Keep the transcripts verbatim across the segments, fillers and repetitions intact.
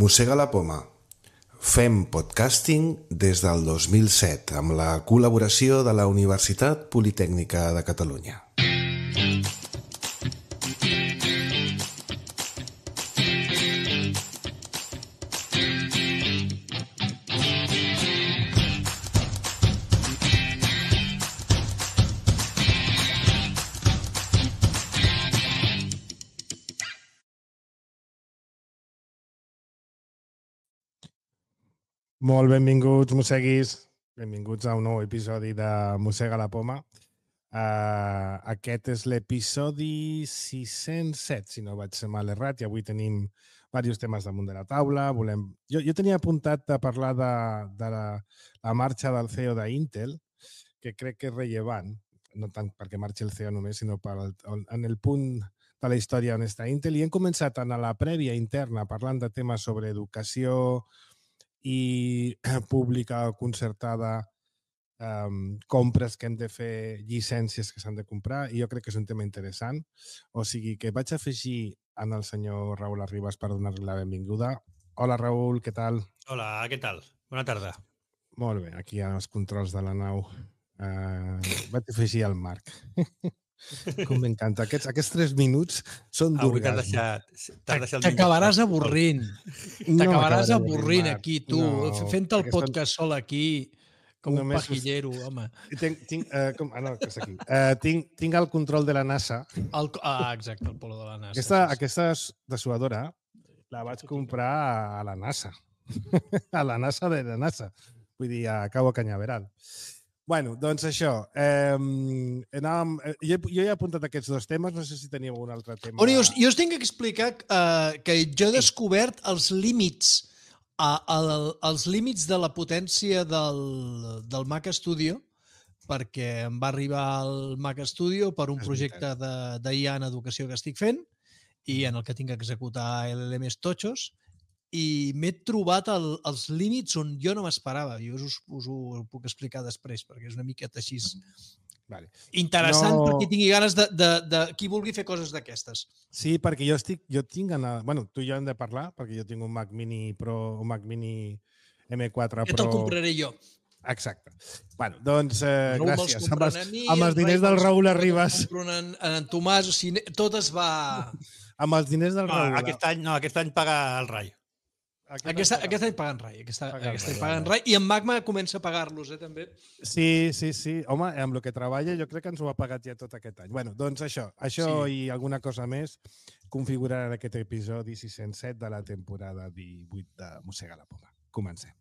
Mossega la poma. Fem podcasting des del dos mil set amb la col·laboració de la Universitat Politècnica de Catalunya. Molt benvinguts, mosseguis. Benvinguts a un nou episodi de Mossega la poma. Uh, aquest és l'episodi sis-cents set, si no vaig ser mal errat, i avui tenim diversos temes damunt de la taula. Volem... Jo, jo tenia apuntat a parlar de, de la, la marxa del C E O d'Intel, que crec que és rellevant, no tant perquè marxi el C E O només, sinó per el, en el punt de la història on està Intel. I hem començat en la prèvia interna parlant de temes sobre educació i pública o concertada, um, compres que hem de fer, llicències que s'han de comprar, i jo crec que és un tema interessant. O sigui que vaig afegir en el senyor Raül Arribas per donar-li la benvinguda. Hola, Raül, què tal? Hola, què tal? Bona tarda. Molt bé, aquí hi ha els controls de la nau. Uh, vaig afegir el Marc. Com m'encanta. Aquests, aquests tres minuts són d'orgasme. T'acabaràs avorrint. T'acabaràs no avorrint aquí, tu. No, Fent el podcast sol aquí, com un pajillero, home. Tinc, tinc, uh, com, ah, no, que és aquí. Uh, tinc, tinc el control de la NASA. El, ah, exacte, el polo de la NASA. Aquesta, aquesta dessuadora la vaig comprar a la NASA. A la NASA de la NASA. Vull dir, a Cabo Cañaveral. Bueno, doncs això. Eh, anàvem, jo, jo he apuntat aquests dos temes, no sé si teníeu un altre tema. Bueno, jo, jo us tinc que explicar uh, que jo he descobert els límits, uh, el, els límits de la potència del, del Mac Studio, perquè em va arribar el Mac Studio per un projecte d'I A en educació que estic fent i en el que tinc que executar L L Ms totxos, i m'he trobat el, els límits on jo no m'esperava. Jo us, us ho puc explicar després, perquè és una miqueta així vale. interessant no... perquè tingui ganes de, de, de qui vulgui fer coses d'aquestes. Sí, perquè jo estic, jo tinc ganes... Bueno, tu i jo hem de parlar, perquè jo tinc un Mac Mini Pro, un Mac Mini M quatre Pro... Que te'l compraré jo. Exacte. Bueno, doncs, eh, no gràcies. Amb els, mi, amb els diners del Raül Arribas... En, en Tomàs, o sigui, tot es va... Amb els diners del Raül... No, aquest any, no, aquest any paga el Rai. Aquest, aquest, any, aquest any pagant rai, aquest, aquest any pagant rai, i en Magma comença a pagar-los, eh, també. Sí, sí, sí. Home, amb el que treballa jo crec que ens ho ha pagat ja tot aquest any. Bueno, doncs això, això sí. I alguna cosa més configuraran aquest episodi sis-cents set de la temporada divuit de Mossega la poma. Comencem.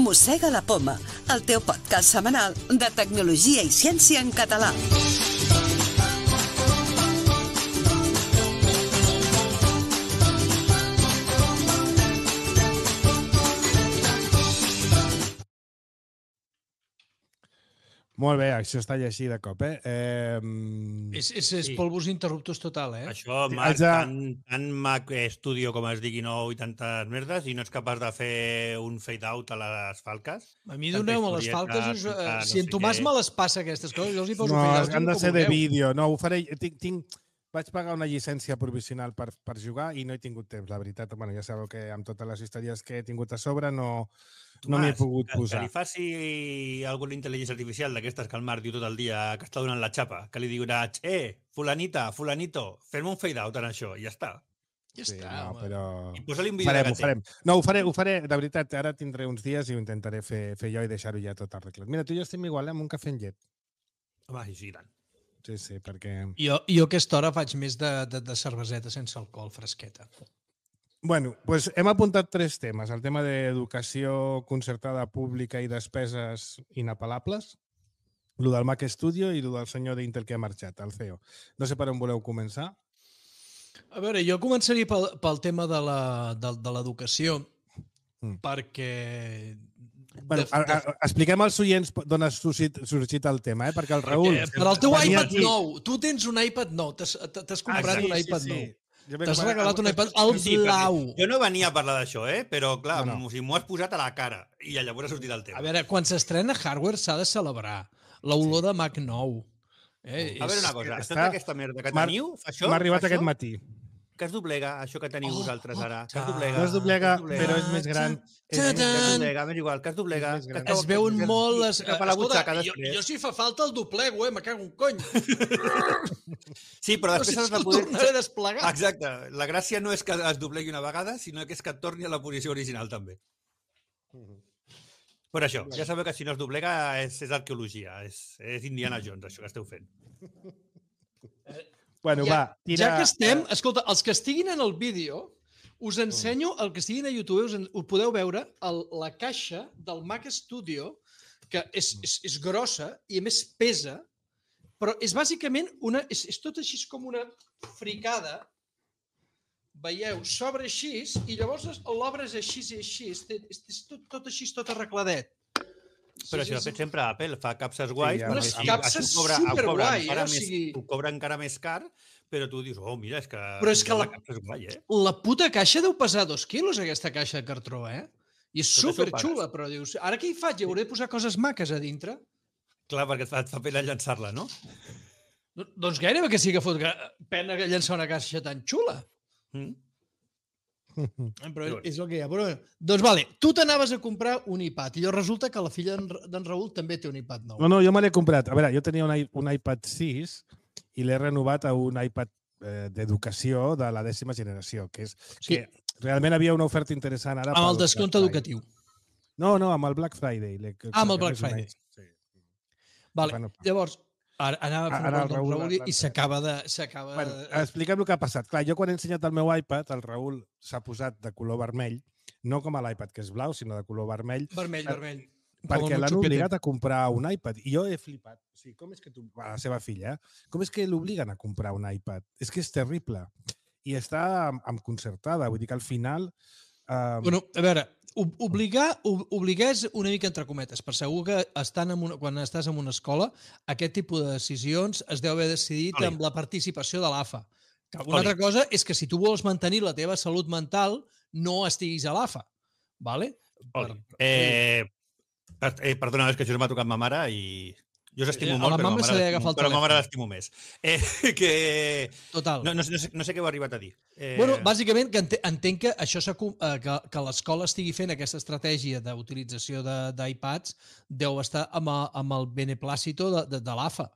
Mossega la poma, el teu podcast setmanal de tecnologia i ciència en català. Molt bé, això està així de cop, eh? eh és és, és sí. Polvos interruptos total, eh? Això, Marc, ja... tant, tant Mac Studio com es digui nou i tantes merdes, i no ets capaç de fer un fade-out a les falques? A mi doneu-me les falques, us, uh, no si en Tomàs me les passa aquestes coses, jo els hi poso no, fade-out. No, han de ser de vídeo, no, ho faré, tinc... tinc... Vaig pagar una llicència provisional per, per jugar i no he tingut temps, la veritat. Bueno, ja sabeu que amb totes les històries que he tingut a sobre no, no m'hi he pogut que, posar. Que li faci alguna intel·ligència artificial d'aquestes que el Marc diu tot el dia que està donant la xapa, que li diurà, eh, fulanita, fulanito, fem un fade-out en això, i ja està. Ja sí, està, no, però... I posa-li un vídeo farem, de ho farem. No, ho faré, ho faré, de veritat, ara tindré uns dies i ho intentaré fer, fer jo i deixar-ho ja tot arreglat. Mira, tu i jo estem igual, eh, amb un cafè en llet. Home, sí, tant. Sí, sí, perquè... Jo, jo a aquesta hora faig més de, de, de cerveseta sense alcohol, fresqueta. Bueno, doncs hem apuntat tres temes. El tema d'educació concertada pública i despeses inapel·lables, el del Mac Studio i el del senyor d'Intel que ha marxat, el C E O. No sé per on voleu començar. A veure, jo començaria pel, pel tema de l'educació, mm. perquè... Bueno, a, a, expliquem als oients d'on ha sorgit, sorgit el tema, eh? Perquè el Raül... Per al teu iPad aquí... nou, tu tens un iPad nou, t'has comprat ah, sí, un iPad sí, sí. nou. Jo m'he T'has comprat- regalat un iPad al Sí, perquè blau. Jo no venia a parlar d'això, eh? Però, clar, No, no. no, no. O sigui, m'ho has posat a la cara i llavors ha sortit el tema. A veure, quan s'estrena hardware s'ha de celebrar. L'olor sí. de Mac nou. Eh, A veure una és- cosa, està- tota aquesta merda que m'ha- teniu, fa això, M'ha arribat fa aquest això, matí. que es doblega, això que teniu Oh, vosaltres oh, ara, que es ah. doblega. No es doblega, que es doblega, però és més gran. És Ta-ta. més que es gran. doblega, m'és igual, que es doblega. És més que gran. cau- Es veuen que- molt les... cap a la butxaca jo, després. jo si fa falta el doblego, eh? Me cago un cony. Sí, però No sé després has si de el poder... tornaré a desplegar. Exacte. La gràcia no és que es doblegui una vegada, sinó que és que et torni a la posició original, també. Per això, ja sabeu que si no es doblega és, és arqueologia, és, és Indiana Jones, això que esteu fent. Bueno, ja, va, tira... ja que estem, escolta, els que estiguin en el vídeo, us ensenyo, el que estiguin a YouTube, us, en, us podeu veure el, la caixa del Mac Studio, que és, és, és grossa i a més pesa, però és bàsicament una... És, és tot així com una fricada, veieu, s'obre així i llavors l'obres així i així, és, és, és tot, tot així, tot arregladet. Però això ho ha fet sempre Apple, fa capses guais, ja, però unes així- capses així ho cobra, ho cobra superguai, encara eh? O més, sigui- ho cobra encara més car, però tu dius, oh, mira, és que, Però és que la- capsa és guai, eh? La puta caixa deu pesar dos quilos, aquesta caixa de cartró, eh? I és Tot això ho superxula, però dius, ara què hi faig? Hi hauré de posar coses maques a dintre? Clar, perquè et fa, et fa pena llançar-la, no? Do- Doncs gairebé que sí que fot gra- pena que llançar una caixa tan xula. Mm? Però Però és, és el que hi ha. Però, doncs vale, tu t'anaves a comprar un iPad i llavors resulta que la filla d'en Ra- d'en Raül també té un iPad nou. No, no, jo me l'he comprat. A veure, jo tenia un, i- un iPad sis i l'he renovat a un iPad eh, d'educació de la dècima generació, que és Sí. que realment havia una oferta interessant ara. Amb el pel descompte Black Friday. educatiu. No, no, amb el Black Friday. l'he- Ah, amb el que Black és una- Friday. Sí. Vale, Bueno, llavors, ara anava a fer Ara una el cosa amb Raül Raül i- va- i s'acaba de... s'acaba Bueno, de- expliquem el que ha passat. Clar, jo quan he ensenyat el meu iPad, el Raül s'ha posat de color vermell, no com a l'iPad que és blau, sinó de color vermell, Vermell, per- vermell. perquè Com un l'han xupete. obligat a comprar un iPad. I jo he flipat. O sigui, com és que tu, a la seva filla, eh? com és que l'obliguen a comprar un iPad? És que és terrible. I està amb, amb concertada. Vull dir que al final... Eh, Bueno, a veure, ob- obligar, ob- obligar és una mica entre cometes, per segur que estan en una, quan estàs en una escola, aquest tipus de decisions es deu haver decidit Oli. amb la participació de l'A F A. Que una Oli. altra cosa és que si tu vols mantenir la teva salut mental, no estiguis a l'A F A. Vale? Oli. Eh, per, eh, perdona, és que això m'ha tocat ma mare i jo us estimo A molt, la però, mama ma se mare li ha l'estimo- agafat el però ma mare telèfon. l'estimo més. Eh, que... Total. No, no, sé- no, sé, no sé què heu arribat a dir. Eh, Bueno, bàsicament que ente- entenc que això s'ha com- eh, que, que l'escola estigui fent aquesta estratègia d'utilització de- d'iPads deu estar amb, a- amb el beneplàcito de, de, de l'A F A.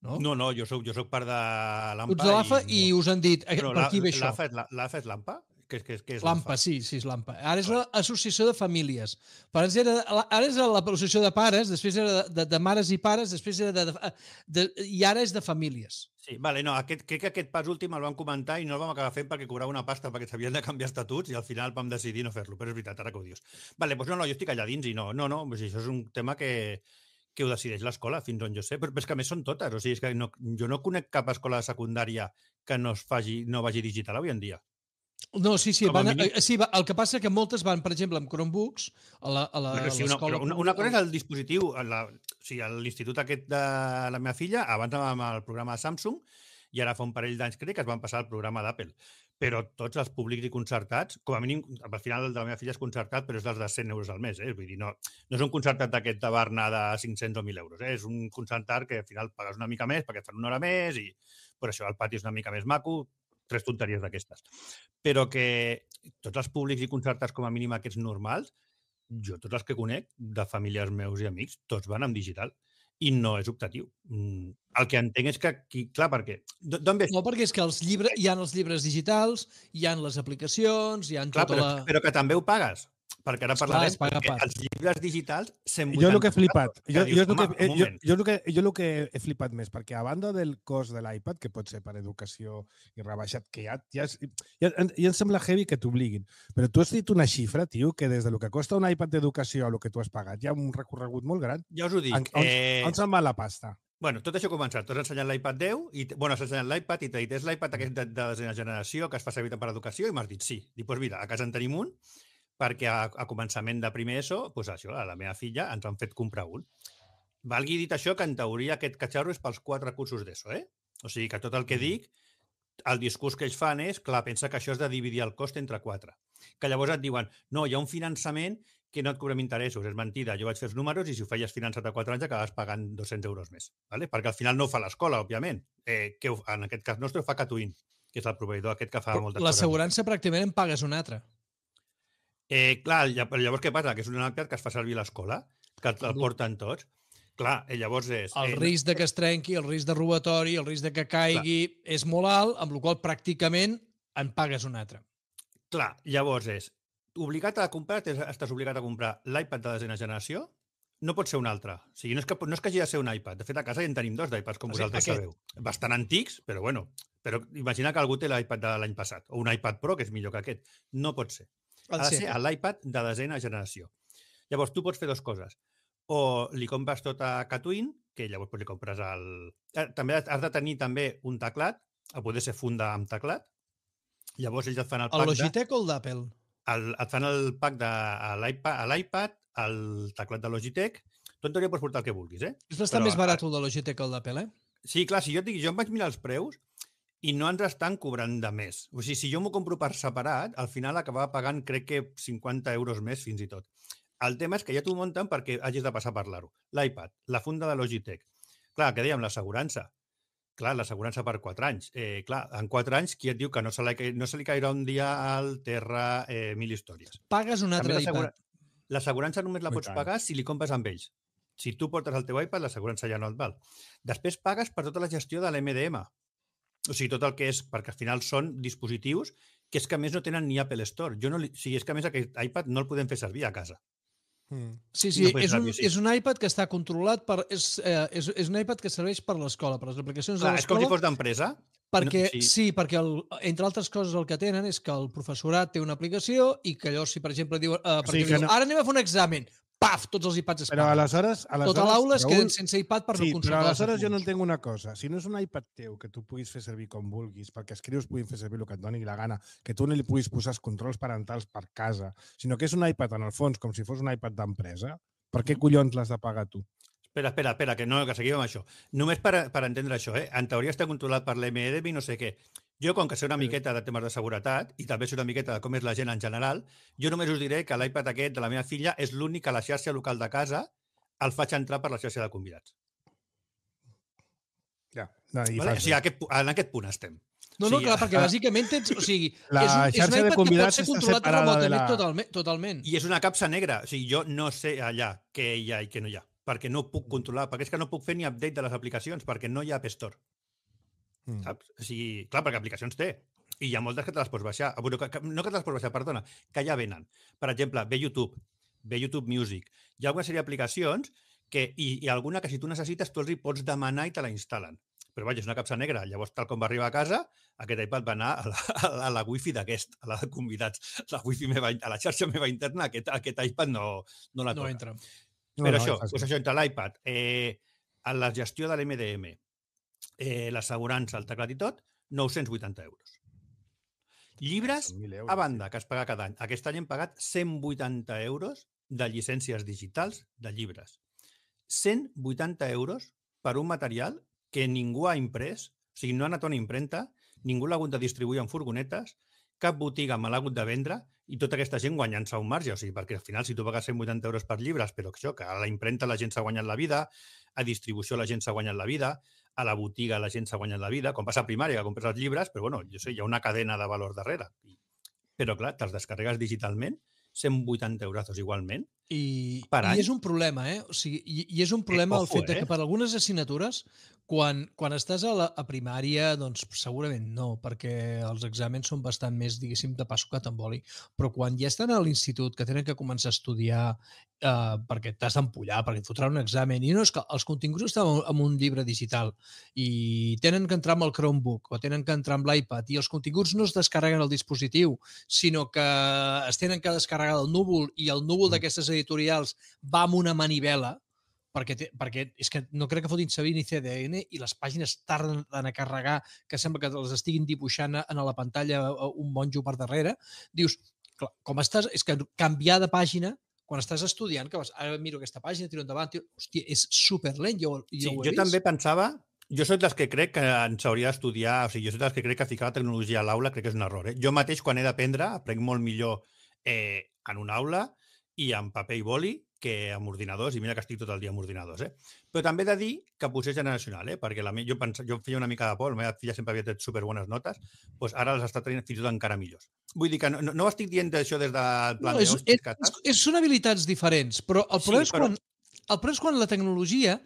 No? no, no, jo soc, jo soc part de l'A M P A. Tu ets de l'A F A i, no. us han dit, eh, Però per la- aquí ve això. L'A F A és la- l'A F A és l'A M P A? Què és, què és, què és L'AMPA, sí, sí, és l'AMPA. Ara és l'Associació de Famílies. Abans era, ara és l'Associació de Pares, després era de, de, de mares i pares, després era de, de, de, i ara és de famílies. Sí, vale, no, aquest, crec que aquest pas últim el vam comentar i no el vam acabar fent perquè cobrava una pasta perquè s'havien de canviar estatuts i al final vam decidir no fer-lo, però és veritat, ara que ho dius. Vale, doncs no, no, jo estic allà dins i no, no, no, o sigui, això és un tema que, que ho decideix l'escola, fins on jo sé, però, però és que a més són totes, o sigui, és que no, jo no conec cap escola de secundària que no es faci, no vagi digital avui en dia. No, sí, sí, Com a van, mínim. eh, sí va, el que passa que moltes van, per exemple, amb Chromebooks a la- a la- a Però sí, una, l'escola. però una, una cosa és el dispositiu, a la, o sigui, a l'institut aquest de la meva filla, abans anàvem al programa de Samsung i ara fa un parell d'anys crec que es van passar al programa d'Apple. Però tots els públics i concertats, com a mínim, al final el de la meva filla és concertat, però és dels de cent euros al mes. Eh? Vull dir, no, no és un concertat d'aquest de Barna de cinc-cents o mil euros. Eh? És un concertat que al final pagues una mica més perquè et fan una hora més i per això el pati és una mica més maco, tres tonteries d'aquestes. Però que tots els públics i concertats com a mínim aquests normals, jo tots els que conec, de familiars meus i amics, tots van amb digital i no és optatiu. Mm, El que entenc és que aquí, clar, perquè... d- D'on ve? No, perquè és que els llibres, hi ha els llibres digitals, hi ha les aplicacions, hi ha Clar, tota però, la... però que també ho pagues. Perquè ara Esclar, parlarem es paga a perquè part. els llibres digitals cent Jo el que he vuitanta flipat, que jo, dius, jo, és el que, home, eh, un jo, moment. jo, el que, jo el que he flipat més, perquè a banda del cost de l'iPad, que pot ser per educació i rebaixat, que ja, ja, és- ja, ja em sembla heavy que t'obliguin, però tu has dit una xifra, tio, que des de lo que costa un iPad d'educació a lo que tu has pagat hi ha un recorregut molt gran. Ja us ho dic. On, on, eh, on se'n va la pasta? Bueno, tot això ha començat. Tu has ensenyat l'iPad deu, i, t- bueno, has ensenyat l'iPad i t'ha dit, és l'iPad aquest de, de desena generació que es fa servir per educació? I m'has dit sí. Dic, doncs mira, a casa en tenim un, perquè a, a començament de primer ESO, doncs això, a la meva filla ens han fet comprar un. Valgui dit això, que en teoria aquest catxarro és pels quatre cursos d'ESO, eh? O sigui que tot el que dic el discurs que ells fan és, clar, pensa que això és de dividir el cost entre quatre. Que llavors et diuen, no, hi ha un finançament que no et cobrem interessos. És mentida, jo vaig fer els números i si ho feies finançat a quatre anys acabes pagant dos-cents euros més. ¿Vale? Perquè al final no ho fa l'escola, òbviament. Eh, que en aquest cas nostre ho fa Catwin, que és el proveïdor aquest que fa moltes coses. L'assegurança pràcticament en pagues una altra. Eh, clar, llavors què passa? Que és un iPad que es fa servir a l'escola, que el porten tots. Clar, llavors és... El eh, risc de que es trenqui, el risc de robatori, el risc de que caigui, clar, és molt alt, amb la qual cosa pràcticament en pagues un altre. Clar, llavors és obligat a comprar, estàs obligat a comprar l'iPad de desena generació, no pot ser un altre. O sigui, no és que, no és que hagi de ser un iPad. De fet, a casa ja en tenim dos d'iPads, com vosaltres sabeu. Bastant antics, però bueno. Però imagina que algú té l'iPad de l'any passat, o un iPad Pro, que és millor que aquest. No pot ser. Ha de ser l'iPad de desena generació. Llavors, tu pots fer dues coses. O li compres tot a Catwin, que llavors li compres el... També has de tenir també un teclat, a poder ser funda amb teclat. Llavors ells et fan el pack de... El Logitech o el d'Apple? Et fan el pack de l'iPad, el teclat de Logitech. Tu en teoria pots portar el que vulguis, eh? És bastant més barat el de Logitech que el d'Apple, eh? Sí, clar, si jo et dic, jo em vaig mirar els preus i no ens estan cobrant de més. O sigui, si jo m'ho compro per separat, al final acabava pagant, crec que cinquanta euros més fins i tot. El tema és que ja t'ho munten perquè hagis de passar a parlar-ho. L'iPad, la funda de Logitech. Clar, que dèiem, l'assegurança. Clar, l'assegurança per quatre anys. Eh, clar, en quatre anys, qui et diu que no se li, no se li cairà un dia al terra eh, mil històries? Pagues un altre iPad. L'assegurança només la pots pagar si li compres amb ells. Si tu portes el teu iPad, l'assegurança ja no et val. Després pagues per tota la gestió de l'M D M. O sigui, tot el que és, perquè al final són dispositius que és que a més no tenen ni Apple Store. Jo no li, o sigui, és que a més aquest iPad no el podem fer servir a casa. Sí, sí, no és, un, sí, és un iPad que està controlat per... És, eh, és, és un iPad que serveix per l'escola, per les aplicacions Clar, de l'escola. És com si fos d'empresa. Perquè, no, sí. sí, perquè el, entre altres coses el que tenen és que el professorat té una aplicació i que allò, si per exemple diu, eh, o sigui diu no... ara anem a fer un examen, paf, tots els iPads es Però paguen. aleshores... aleshores tota l'aula es queden Raül, sense iPad per sí, no consultar. Però aleshores jo no entenc una cosa. Si no és un iPad teu que tu puguis fer servir com vulguis, perquè els crios puguin fer servir el que et doni la gana, que tu no li puguis posar els controls parentals per casa, sinó que és un iPad en el fons com si fos un iPad d'empresa, per què collons l'has de pagar tu? Espera, espera, espera, que no, que seguim amb això. Només per, per entendre això, eh? En teoria està controlat per l'M D M i no sé què. Jo, com que sé una miqueta de temes de seguretat i també sé una miqueta de com és la gent en general, jo només us diré que l'iPad aquest de la meva filla és l'únic que a la xarxa local de casa el faig entrar per la xarxa de convidats. Ja. No, vale? O sigui, aquest, en aquest punt estem. No, no, sí, clar, perquè bàsicament tens... O sigui, la és un, és xarxa un de iPad convidats que pot ser està controlat separada de la... totalment, totalment. I és una capsa negra. O sigui, jo no sé allà què hi ha i què no hi ha, perquè no puc controlar, perquè és que no puc fer ni update de les aplicacions, perquè no hi ha App Store. Mm. Saps? O sigui, clar, perquè aplicacions té. I hi ha moltes que te les pots baixar. No que te les pots baixar, perdona, que ja venen. Per exemple, ve YouTube, ve YouTube Music. Hi ha alguna sèrie d'aplicacions que, i, i alguna que si tu necessites, tu els hi pots demanar i te la instal·len. Però vaja, és una capsa negra. Llavors, tal com va arribar a casa, aquest iPad va anar a la, a la wifi d'aquest, a la de convidats. La wifi meva, a la xarxa meva interna, aquest, aquest iPad no, no la toca. No entra. Però no, no, això, doncs això, entre l'iPad, eh, la gestió de l'M D M, eh, l'assegurança, el teclat i tot, nou-cents vuitanta euros. Llibres, euros, a banda, que es paga cada any. Aquest any hem pagat cent vuitanta euros de llicències digitals de llibres. cent vuitanta euros per un material que ningú ha imprès, o sigui, no ha anat a una impremta, ningú l'ha hagut de distribuir en furgonetes, cap botiga me l'ha hagut de vendre i tota aquesta gent guanyant-se un marge. O sigui, perquè al final, si tu pagues cent vuitanta euros per llibres, però això, que a la impremta la gent s'ha guanyat la vida, a distribució la gent s'ha guanyat la vida, a la botiga la gent s'ha guanyat la vida, com passa a primària, que compres els llibres, però bueno, jo sé, hi ha una cadena de valor darrere. Però clar, te'ls descarregues digitalment, cent vuitanta euros igualment, I, per any. I és un problema, eh? O sigui, i, i és un problema eh, ojo, el fet eh? que per algunes assignatures, quan, quan estàs a, la, a primària, doncs segurament no, perquè els exàmens són bastant més, diguéssim, de pa sucat amb oli, però quan ja estan a l'institut, que tenen que començar a estudiar eh, perquè t'has d'empullar, perquè et fotran un examen, i no és que els continguts estan en un llibre digital i tenen que entrar amb el Chromebook o tenen que entrar amb l'iPad i els continguts no es descarreguen al dispositiu, sinó que es tenen que descarregar del núvol i el núvol mm. d'aquestes editorials va amb una manivela, perquè, té, perquè és que no crec que fotin servir ni C D N i les pàgines tarden a carregar, que sembla que les estiguin dibuixant a la pantalla un monjo per darrere. Dius, clar, com estàs, és que canviar de pàgina quan estàs estudiant, que vas, ara miro aquesta pàgina, tiro endavant, tiro, hòstia, és superlent, jo, jo sí, ho he jo vist. també pensava Jo soc dels que crec que ens hauria d'estudiar, o sigui, jo soc dels que crec que ficar la tecnologia a l'aula crec que és un error. Eh? Jo mateix, quan he d'aprendre, aprenc molt millor eh, en una aula i amb paper i boli que amb ordinadors, i mira que estic tot el dia amb ordinadors. Eh? Però també he de dir que potser és generacional, eh? perquè la me... jo, pens... jo feia una mica de por, la meva filla sempre havia tret superbones notes, doncs ara les està tenint fins i tot encara millors. Vull dir que no, no estic dient d'això des del plan no, és, de... és, és, són habilitats diferents, però el problema, sí, però... és quan, el problema és quan la tecnologia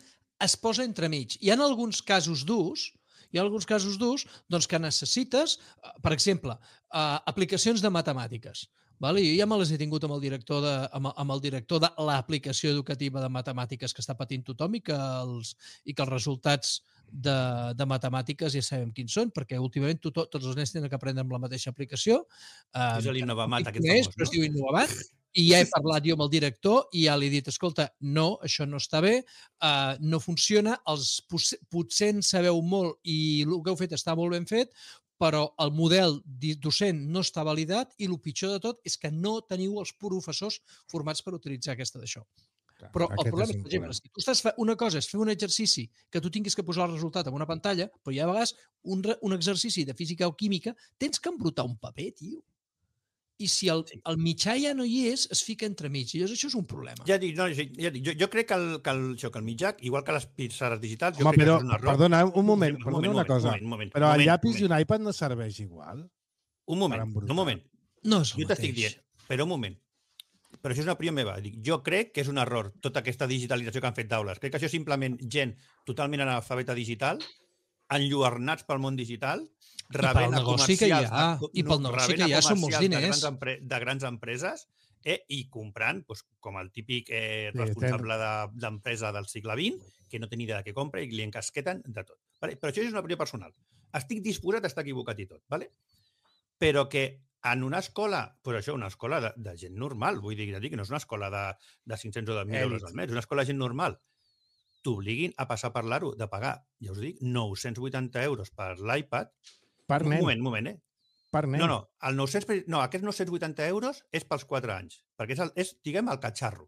es posa entremig. Hi ha alguns casos d'ús, hi ha alguns casos d'ús doncs, que necessites, per exemple, uh, aplicacions de matemàtiques. Vale? Jo ja me les he tingut amb el director de, amb, amb el director de l'aplicació educativa de matemàtiques que està patint tothom i que els, i que els resultats de, de matemàtiques ja sabem quins són, perquè últimament to, tots els nens tenen que aprendre amb la mateixa aplicació. És um, l'Innovamat, aquest és, famós, però no? es diu Innovamat. I ja he parlat jo amb el director i ja li he dit, escolta, no, això no està bé, uh, no funciona, els potser en sabeu molt i el que heu fet està molt ben fet, però el model docent no està validat i el pitjor de tot és que no teniu els professors formats per utilitzar aquesta d'això. Però el problema és, per exemple, si tu estàs fent una cosa és fer un exercici que tu tinguis que posar el resultat en una pantalla, però hi ha a vegades un, un exercici de física o química, tens que embrutar un paper, tio. I si el, el mitjà ja no hi és, es fica entremig. I llavors això és un problema. Ja dic, no, ja dic jo, jo crec que el, que, el, això, que el mitjà, igual que les pissarres digitals, jo Home, crec però, que és un error. Perdona, un moment, un perdona moment, una moment, cosa. moment, moment, però moment, el llapis moment. i un iPad no serveix igual? Un moment, un moment. No és el jo t'estic dient, però un moment. Però això és una opinió meva. Dic, jo crec que és un error tota aquesta digitalització que han fet d'aules. Crec que això és simplement gent totalment analfabeta digital, enlluernats pel món digital, rebent a comercials, ha, no, i pel negoci que hi ha són molts diners. De grans, empre, de grans empreses eh, i comprant, doncs, com el típic eh, responsable d'empresa del segle vint, que no té ni idea de què compra i li encasqueten de tot. Vale? Però això és una opinió personal. Estic disposat a estar equivocat i tot, vale? Però que en una escola, doncs això, una escola de, de gent normal, vull dir, que no és una escola de, de cinc-cents o de mil euros al mes, és una escola de gent normal, t'obliguin a passar per l'aro de pagar, ja us dic, nou-cents vuitanta euros per l'iPad. Per nen. Un moment, un moment, eh? Per nen. No, no, el nou-cents, no, aquests nou-cents vuitanta euros és pels quatre anys, perquè és, el, és diguem, el catxarro.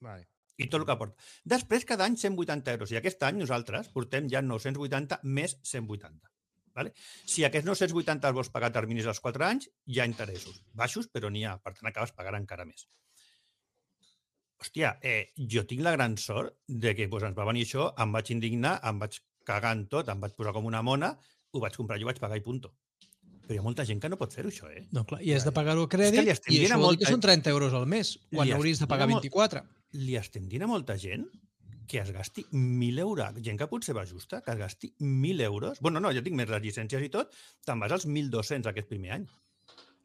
Vale. I tot el que porta. Després, cada any, cent vuitanta euros. I aquest any nosaltres portem ja nou-cents vuitanta més cent vuitanta. Vale? Si aquests nou-cents vuitanta els vols pagar a terminis dels quatre anys, hi ha interessos. Baixos, però n'hi ha. Per tant, acabes pagant encara més. Hòstia, eh, jo tinc la gran sort de que doncs, ens va venir això, em vaig indignar, em vaig cagar en tot, em vaig posar com una mona, ho vaig comprar, jo vaig pagar i punto. Però hi ha molta gent que no pot fer-ho, això, eh? No, clar, i has de pagar-ho a crèdit és que i això vol dir molta... que són trenta euros al mes, quan hauries de pagar vint-i-quatre. Li estem dient a molta gent que es gasti mil euros, gent que potser va justa, que es gasti mil euros. Bueno, no, ja tinc més les llicències i tot, te'n vas als mil dos-cents aquest primer any.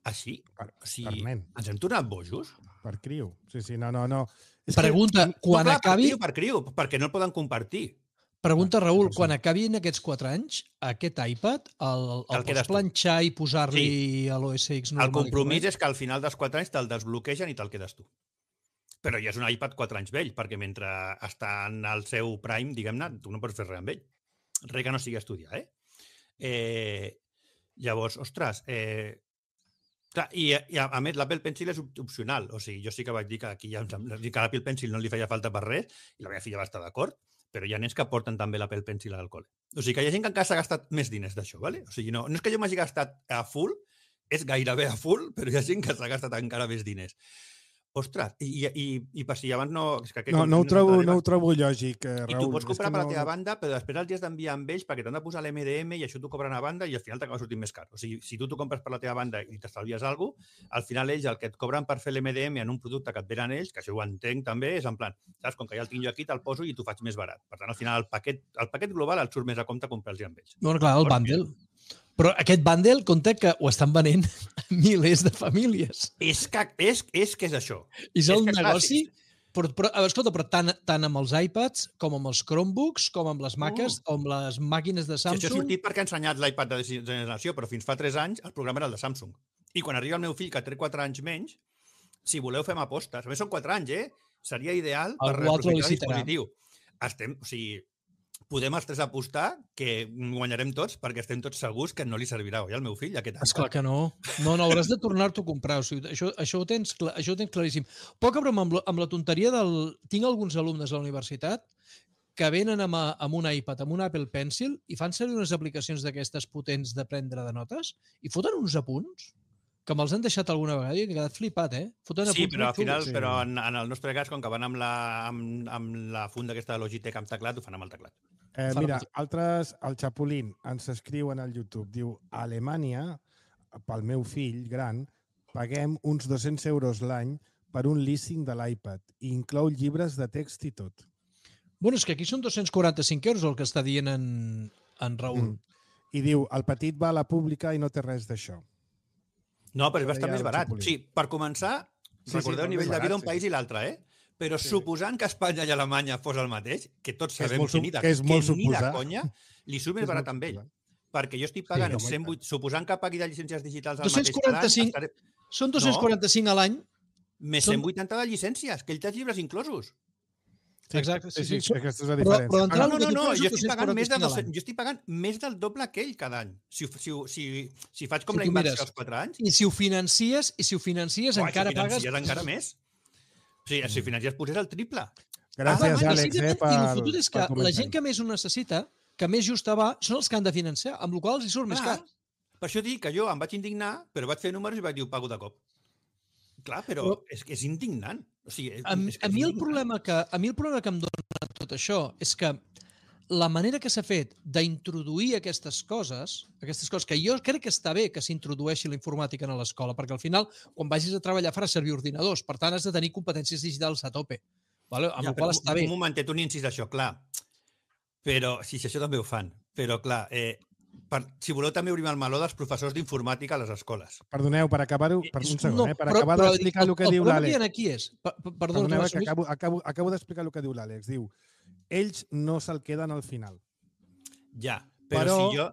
Així? Per, o sigui, per nen. ens hem tornat bojos? Per criu. Sí, sí, no, no, no. És Pregunta, que... quan no, clar, acabi... Per criu, per criu, perquè no el poden compartir. Pregunta, Raül, no sé. quan acabin aquests quatre anys, aquest iPad, el, el, el pots planxar i posar-li sí. a l'O S X normal? El compromís és que al final dels quatre anys te'l desbloquegen i te'l quedes tu. Però ja és un iPad quatre anys vell, perquè mentre està en el seu prime, diguem-ne, tu no pots fer res amb ell. Res que no sigui estudiar, eh? eh llavors, ostres, eh, clar, i, i a, a més l'Apple Pencil és opcional, o sigui, jo sí que vaig dir que aquí ja, que l'Apple Pencil no li feia falta per res, i la meva filla va estar d'acord, però hi ha nens que porten també l'Apple Pencil al col·le. O sigui que hi ha gent que encara s'ha gastat més diners d'això, ¿vale? O sigui, no, no és que jo m'hagi gastat a full, és gairebé a full, però hi ha gent que s'ha gastat encara més diners. Ostres, i, i, i per si abans no... És que no, no, ho trobo, no ho trobo lògic, eh, Raül. I tu pots comprar per la teva no... banda, però després els has d'enviar amb ells perquè t'han de posar l'M D M i això t'ho cobren a banda i al final t'acaba sortint més car. O sigui, si tu t'ho compres per la teva banda i t'estalvies alguna cosa, al final ells el que et cobren per fer l'M D M en un producte que et venen ells, que això ho entenc també, és en plan, saps, com que ja el tinc jo aquí, te'l poso i t'ho faig més barat. Per tant, al final el paquet, el paquet global et surt més a compte comprar-los amb ells. Bueno, clar, el bundle. Però aquest bundle, compte que ho estan venent milers de famílies. És que és, és, que és això. És el és que, negoci... Clar, però, però, escolta, però tant, tant amb els iPads, com amb els Chromebooks, com amb les Macs, uh. o amb les màquines de Samsung... Si això ha sortit perquè ha ensenyat l'iPad de generació, però fins fa tres anys el programa era el de Samsung. I quan arriba el meu fill, que té quatre anys menys, si voleu fem apostes. A més, són quatre anys, eh? Seria ideal per reaprofitar el dispositiu. Estem, o sigui, podem els tres apostar que guanyarem tots perquè estem tots segurs que no li servirà oi al meu fill aquest any. Esclar que no. No, no, hauràs de tornar-t'ho a comprar. O sigui, això, això, ho tens, això ho tens claríssim. Poca broma amb la, amb la tonteria del... Tinc alguns alumnes a la universitat que venen amb, a- amb un iPad, amb un Apple Pencil, i fan servir unes aplicacions d'aquestes potents de prendre de notes, i foten uns apunts que me'ls han deixat alguna vegada i he quedat flipat, eh? Foten Sí, apunts però al molt xulos. final, sí. però en, en el nostre cas, com que van amb la, amb, amb la funda aquesta de Logitech amb teclat, ho fan amb el teclat. Eh, Fa mira, molt. altres, el Chapulín ens escriuen al YouTube, diu, a Alemanya, pel meu fill gran, paguem uns dos-cents euros l'any per un leasing de l'iPad i inclou llibres de text i tot. Bueno, és que aquí són dos-cents quaranta-cinc euros el que està dient en, en Raül. Mm. I diu, el petit va a la pública i no té res d'això. No, però és Això bastant deia més el barat. Chapulín. Sí, per començar, Sí, recordeu sí, el nivell més de vida barat, d'un sí, país sí. i l'altre, eh? Però Sí. suposant que Espanya i Alemanya fos el mateix, que tots Que és sabem molt que, sup- ni de, que és molt que ni de suposar. conya, li surt Que més és barat molt amb ell. suposar. Perquè jo estic pagant, home, i cent vuit, suposant que pagui de llicències digitals al dos-cents mateix cada any, quaranta-cinc estaré, Són dos-cents quaranta-cinc a l'any. més Són- cent vuitanta de llicències, que ell té els llibres inclosos. Sí, Exacte, sí, sí, sí. sí, aquesta és la Però- diferència. però Ah, entrar No, el no, que no, tu no, poses jo estic pagant més de dos-cents quaranta-cinc a dos, l'any. jo estic pagant més del doble que ell cada any. Si, si, si, si faig com Si la tu inversió mires. als quatre anys, I si ho financies, i si ho financies uai, encara si pagues... financies encara més. O sigui, si financies posés el triple. Gràcies, Clar, Àlex, eh, precisament, pel, I el fotut és que pel la comentari. gent que més ho necessita, que més justa va, són els que han de financiar, amb la qual cosa els hi surt més Clar, car. per això dic que jo em vaig indignar, però vaig fer números i vaig dir, ho pago de cop. Clar, però, Però- és que és indignant. O sigui, és, A, és que a, és mi el indignant. problema que, a mi el problema que em dona tot això és que la manera que s'ha fet d'introduir aquestes coses, aquestes coses que jo crec que està bé que s'introdueixi la informàtica a l'escola, perquè al final, quan vagis a treballar, faràs servir ordinadors, per tant, has de tenir competències digitals a tope. Vale? Amb Ja, la qual però està un, bé. un momentet, un incís d'això, clar. Però, sí, sí, això també ho fan. Però, clar, eh, per, si voleu també obrim el meló dels professors d'informàtica a les escoles. Perdoneu, per acabar-ho, per un segon, No, eh? per però- acabar però d'explicar el que el diu problema l'Àlex. que hi ha aquí és... Per, per, perdó, Perdoneu, eh, que Tomàs, acabo, acabo, acabo d'explicar el que diu l'Àlex. Diu, ells no se'l queden al final, Ja, però, Però- si jo...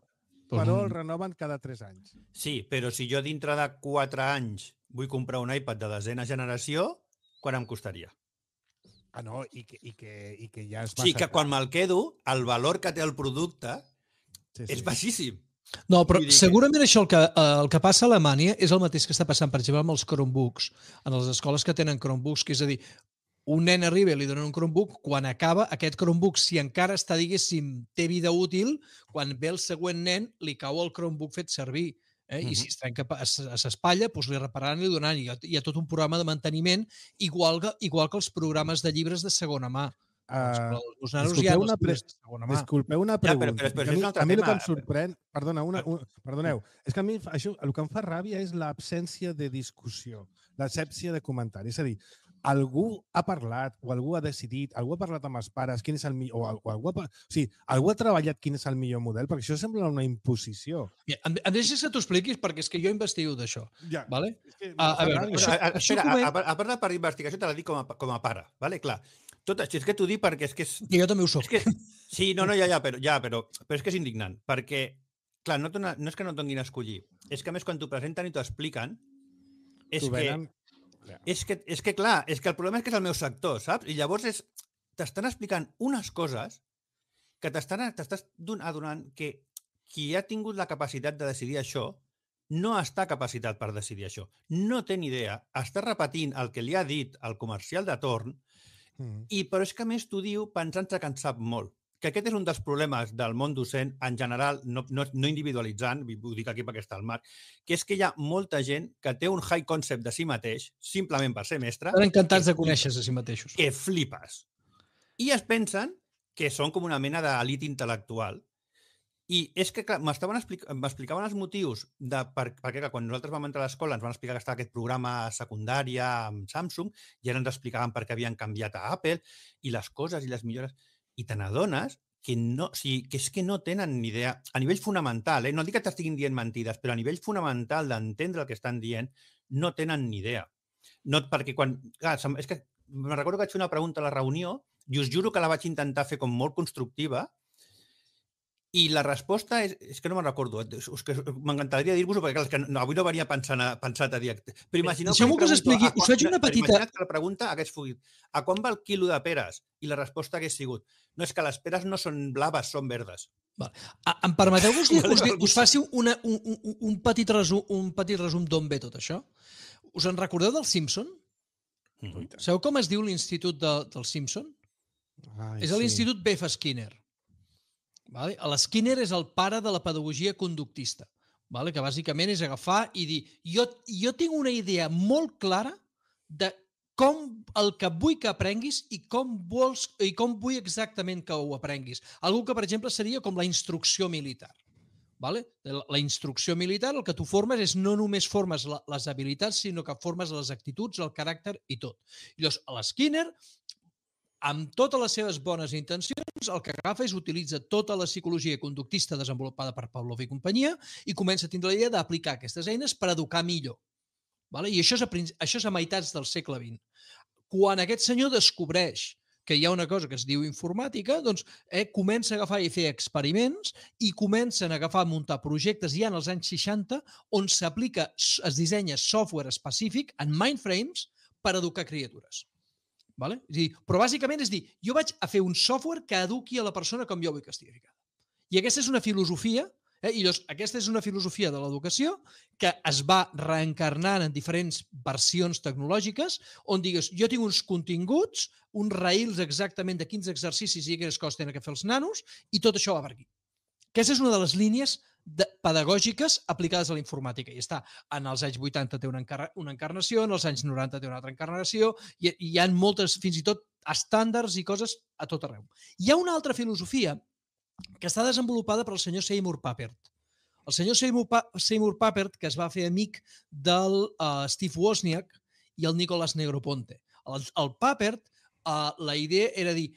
però el renoven cada tres anys. Sí, però si jo dintre de quatre anys vull comprar un iPad de desena generació, quan em costaria? Ah, no, i que, i que, i que ja és Sí, massa que quan car. me'l quedo, el valor que té el producte Sí, és baixíssim. No, però Vull dir que- segurament això el que, eh, el que passa a Alemanya és el mateix que està passant, per exemple, amb els Chromebooks, en les escoles que tenen Chromebooks, que és a dir, un nen arriba i li donen un Chromebook, quan acaba aquest Chromebook, si encara està, diguéssim, té vida útil, quan ve el següent nen, li cau el Chromebook fet servir. Eh? I Mhm. si es trenca, es- s'espatlla, doncs li repararan i li donaran. Hi ha, hi ha tot un programa de manteniment, igual que, igual que els programes de llibres de segona mà. Uh, Els nanos disculpeu ja no una els pre- llibres de segona mà. Disculpeu una Ja, però- pregunta. però- però que això a és mi, un altre a mi el que tema. em sorprèn... Perdona, una, una, perdoneu. És que a mi fa- això, el que em fa ràbia és l'absència de discussió, l'absència de comentari. És a dir, algú ha parlat o algú ha decidit, algú ha parlat amb els pares quin és el millor, o, al- o algú, ha, pa- o sigui, algú ha treballat quin és el millor model, perquè això sembla una imposició. Mira, em, em deixes que t'ho expliquis perquè és que jo investigo d'això. Ja. Vale? És que A- a fa veure, ràbia. això- Però, a, a, això espera, comen- a, a, a part de part d'investigació te la dic com a, com a pare, vale? Clar. Tot això és que t'ho dic perquè és que és... Que jo també ho soc. És que, sí, no, no, ja, ja, però, ja però, però és que és indignant, perquè, clar, no, et dona, no és que no et donin a escollir, és que a més quan t'ho presenten i t'ho expliquen, és T'ho que, venen- és que, és que, clar, és que el problema és que és el meu sector, saps? I llavors és, t'estan explicant unes coses que t'estan t'estàs don- adonant que qui ha tingut la capacitat de decidir això no està capacitat per decidir això. No té ni idea. Està repetint el que li ha dit el comercial de torn. Mm. I, però és que a més t'ho diu pensant-se que en sap molt. Que aquest és un dels problemes del món docent, en general, no, no, no individualitzant, ho dic aquí perquè està al marc, que és que hi ha molta gent que té un high concept de si mateix, simplement per ser mestre, Estan encantats que de conèixer-se a si mateixos. que flipes. I es pensen que són com una mena d'elit intel·lectual. I és que, clar, m'estaven explic m'explicaven els motius de per, perquè clar, quan nosaltres vam entrar a l'escola ens van explicar que estava aquest programa a secundària amb Samsung i ara ens explicaven per què havien canviat a Apple i les coses i les millores. I te n'adones que, no, o sigui, que és que no tenen ni idea, a nivell fonamental, eh? No dic que t'estiguin dient mentides, però a nivell fonamental d'entendre el que estan dient, no tenen ni idea. No, perquè quan... Clar, és que me'n recordo que vaig fer una pregunta a la reunió i us juro que la vaig intentar fer com molt constructiva i la resposta és... És que no me'n recordo. És que m'encantaria dir-vos-ho perquè clar, és que no, avui no venia pensant a, pensat a dir... Però imagineu Deixeu-me que us li expliqui, pregunto a us faig quan- una però petita- imagina't que la pregunta hagués fugit. A quan va el quilo de peres? I la resposta hagués sigut no, és que les peres no són blaves, són verdes. Vale. Ah, em permeteu que us, Vale, us, val, us faci una, un, un, un petit resum, un petit resum d'on ve tot això? Us en recordeu del Simpson? Mm -hmm. Sabeu com es diu l'institut de, del Simpson? Ai, És a sí. l'Institut B F Skinner. Vale? L'Skinner és el pare de la pedagogia conductista, vale? Que bàsicament és agafar i dir jo, jo tinc una idea molt clara de com el que vull que aprenguis i com, vols, i com vull exactament que ho aprenguis. Algú que, per exemple, seria com la instrucció militar. Vale? La instrucció militar, el que tu formes és no només formes la, les habilitats, sinó que formes les actituds, el caràcter i tot. I llavors, l'Skinner, amb totes les seves bones intencions, el que agafa és utilitza tota la psicologia conductista desenvolupada per Pavlov i companyia i comença a tindre la idea d'aplicar aquestes eines per educar millor. Vale? I això és, a, això és a meitats del segle vint. Quan aquest senyor descobreix que hi ha una cosa que es diu informàtica, doncs eh, comença a agafar i fer experiments i comencen a agafar a muntar projectes ja en els anys seixanta on s'aplica, es dissenya software específic en mindframes per educar criatures. Vale? És dir, però bàsicament és dir, jo vaig a fer un software que eduqui a la persona com jo vull que estigui ficada. I aquesta és una filosofia, eh? I llavors, aquesta és una filosofia de l'educació que es va reencarnant en diferents versions tecnològiques on digues, jo tinc uns continguts, uns rails exactament de quins exercicis i quines coses tenen que fer els nanos i tot això va per aquí. Aquesta és una de les línies de, pedagògiques aplicades a la informàtica. I està, en els anys vuitanta té una, encar una encarnació, en els anys noranta té una altra encarnació, i, i hi ha moltes, fins i tot, estàndards i coses a tot arreu. Hi ha una altra filosofia que està desenvolupada per el senyor Seymour Papert. El senyor Seymour, pa Seymour Papert, que es va fer amic del uh, Steve Wozniak i el Nicolas Negroponte. El, el Papert, uh, la idea era dir,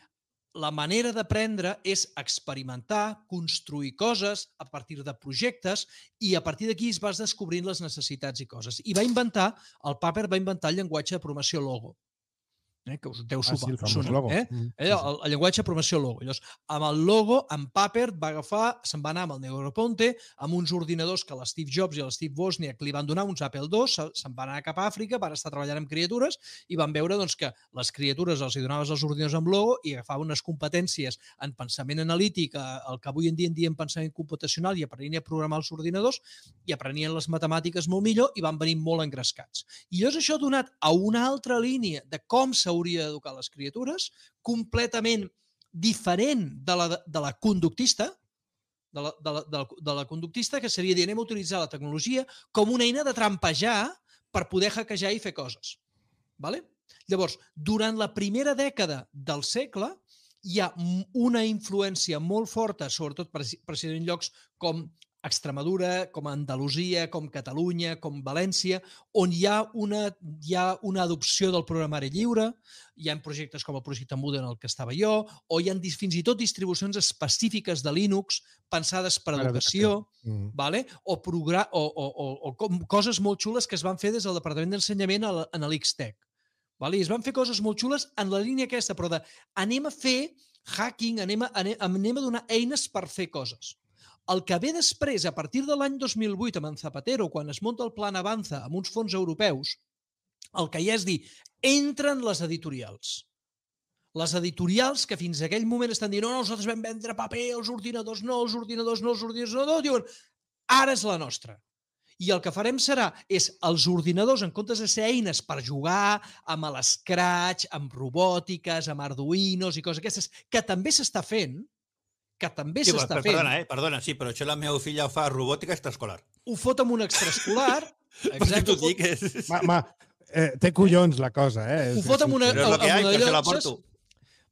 la manera d'aprendre és experimentar, construir coses a partir de projectes i a partir d'aquí es vas descobrint les necessitats i coses. I va inventar, el Papert va inventar el llenguatge de programació Logo. Eh, que us deu Ah, sí, sopar. el famós Sona, logo. Eh? Mm, Eh, el, el llenguatge de programació Logo. Llavors, amb el logo, en Papert va agafar, se'n va anar amb el Negroponte, amb uns ordinadors que l'Steve Jobs i l'Steve Wozniak li van donar, uns Apple dos, se'n van anar cap a Àfrica, van estar treballant amb criatures i van veure doncs, que les criatures els hi donaves els ordinadors amb logo i agafaven unes competències en pensament analític, el que avui en dia en diem pensament computacional, i aprenien a programar els ordinadors i aprenien les matemàtiques molt millor i van venir molt engrescats. I llavors això ha donat a una altra línia de com s'hauria d'educar les criatures, completament diferent de la, de la conductista, de la, de, la, de, la, de la conductista, que seria dir, anem a utilitzar la tecnologia com una eina de trampejar per poder hackejar i fer coses. Vale? Llavors, durant la primera dècada del segle, hi ha una influència molt forta, sobretot precisament en llocs com Extremadura, com Andalusia, com Catalunya, com València, on hi ha una, hi ha una adopció del programari lliure, hi ha projectes com el projecte Moodle en el que estava jo, o hi ha fins i tot distribucions específiques de Linux pensades per a educació, mm. vale? o, o, o, o, o com, coses molt xules que es van fer des del Departament d'Ensenyament en l'X-Tech. Vale? I es van fer coses molt xules en la línia aquesta, però de anem a fer hacking, anem a, anem, anem a donar eines per fer coses. El que ve després, a partir de l'any dos mil vuit, amb en Zapatero, quan es munta el Plan Avanza amb uns fons europeus, el que hi ha és dir, entren les editorials. Les editorials que fins a aquell moment estan dient no, no, nosaltres vam vendre paper, els ordinadors no, els ordinadors no, els ordinadors no, no, diuen, ara és la nostra. I el que farem serà, és els ordinadors, en comptes de ser eines per jugar amb l'Scratch, amb robòtiques, amb Arduinos i coses aquestes, que també s'està fent, que també s'està sí, fent... Perdona, eh? Perdona, sí, però això la meva filla ho fa robòtica extraescolar. Ho fot amb un extraescolar... Exacte, ho dic. És... Ma, ma, eh, té collons la cosa, eh? Ho fot amb una... Però és el que hi ha, que se la porto.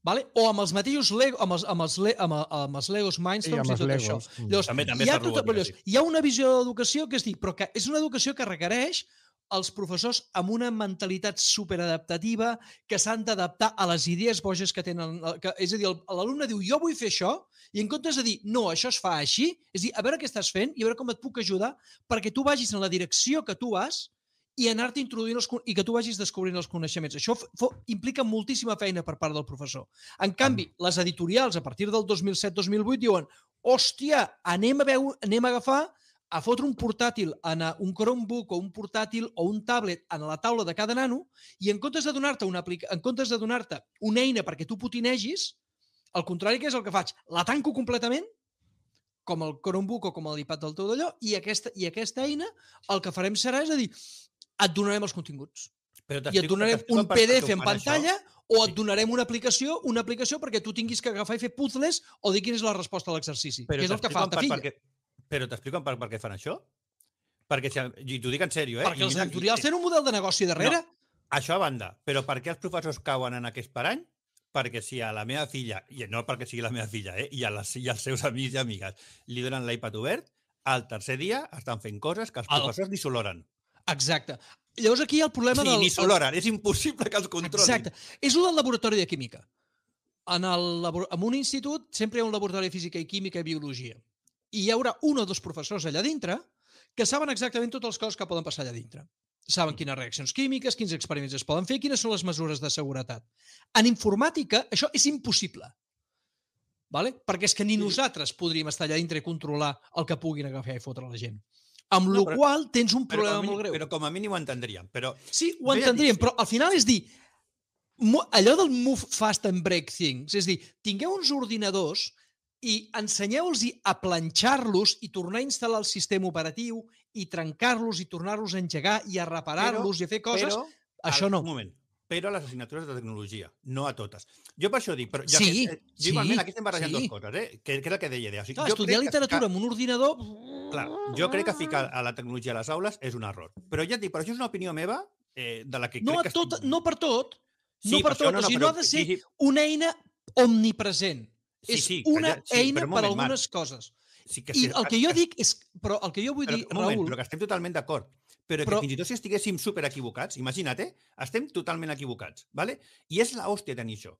Vale? O amb els mateixos Lego, amb els, amb els, amb, amb els Legos Mindstorms sí, i tot Legos. Això. Llavors, també, també hi, ha tot, llavors, hi ha una visió d'educació que és dir, però que és una educació que requereix els professors amb una mentalitat superadaptativa que s'han d'adaptar a les idees boges que tenen. Que, és a dir, l'alumne diu, jo vull fer això, i en comptes de dir, no, això es fa així, és dir, a veure què estàs fent i a veure com et puc ajudar perquè tu vagis en la direcció que tu vas i anar-te introduint els, i que tu vagis descobrint els coneixements. Això implica moltíssima feina per part del professor. En canvi, les editorials, a partir del dos mil set dos mil vuit, diuen, hòstia, anem a, veure, anem a agafar a fotre un portàtil, en un Chromebook o un portàtil o un tablet en la taula de cada nano i en comptes de donar-te una, en comptes de donar-te una eina perquè tu potinegis, al contrari, que és el que faig? La tanco completament, com el Chromebook o com l'iPad del teu d'allò, i aquesta, i aquesta eina el que farem serà, és a dir, et donarem els continguts. I et donarem un P D F en pantalla o et donarem una aplicació una aplicació perquè tu tinguis que agafar i fer puzzles o dir quina és la resposta a l'exercici, que és el que fa ta filla. Però t'explico per què fan això? Perquè, i t'ho dic en sèrio, eh? Perquè els editorials tenen un model de negoci darrere. Això a banda, però per què els professors cauen en aquest parany? Perquè si a la meva filla, i no perquè sigui la meva filla, eh, i, a les, i als seus amics i amigues li donen l'iPad obert, al tercer dia estan fent coses que els professors el... ni s'oloren. Exacte. Llavors aquí hi ha el problema sí, del... ni s'oloren, és impossible que els controlin. Exacte. És el del laboratori de química. En, el, en un institut sempre hi ha un laboratori de física i química i biologia. I hi haurà un o dos professors allà dintre que saben exactament totes les coses que poden passar allà dintre. Saben quines reaccions químiques, quins experiments es poden fer, quines són les mesures de seguretat. En informàtica, això és impossible. Vale? Perquè és que ni nosaltres podríem estar allà dintre i controlar el que puguin agafar i fotre la gent. Amb no, la qual tens un problema mínim, molt greu. Però com a mínim ho entendríem. Però... Sí, ho entendríem, però al final és dir, allò del move fast and break things, és dir, tingueu uns ordinadors i ensenyeu-los a planxar-los i tornar a instal·lar el sistema operatiu i trencar-los i tornar-los a engegar i a reparar-los i a fer coses. Però, això no. Un moment. Però a les assignatures de tecnologia, no a totes. Jo per això dic... Però ja sí, que, eh, sí. Igualment, aquí estem barrejant sí. dues coses, eh? que, que és el que deia idea. O sigui, Clar, jo estudiar literatura ficar... amb un ordinador... Clar, jo crec que ficar a la tecnologia a les aules és un error. Però ja et dic, però això és una opinió meva eh, de la que no crec que... Tot, no per tot. Sí, no per tot. No, no, o sigui, no ha de ser sí, sí. una eina omnipresent. Sí, és sí, una ja, sí, eina moment, per algunes Marc, coses. Sí que I sí, el que jo dic és... Però el que jo vull però, dir, moment, Raül... Però que estem totalment d'acord. Però, però que fins i tot si estiguéssim super equivocats, imagina't, eh? Estem totalment equivocats, ¿vale? I és l'hòstia tenir això.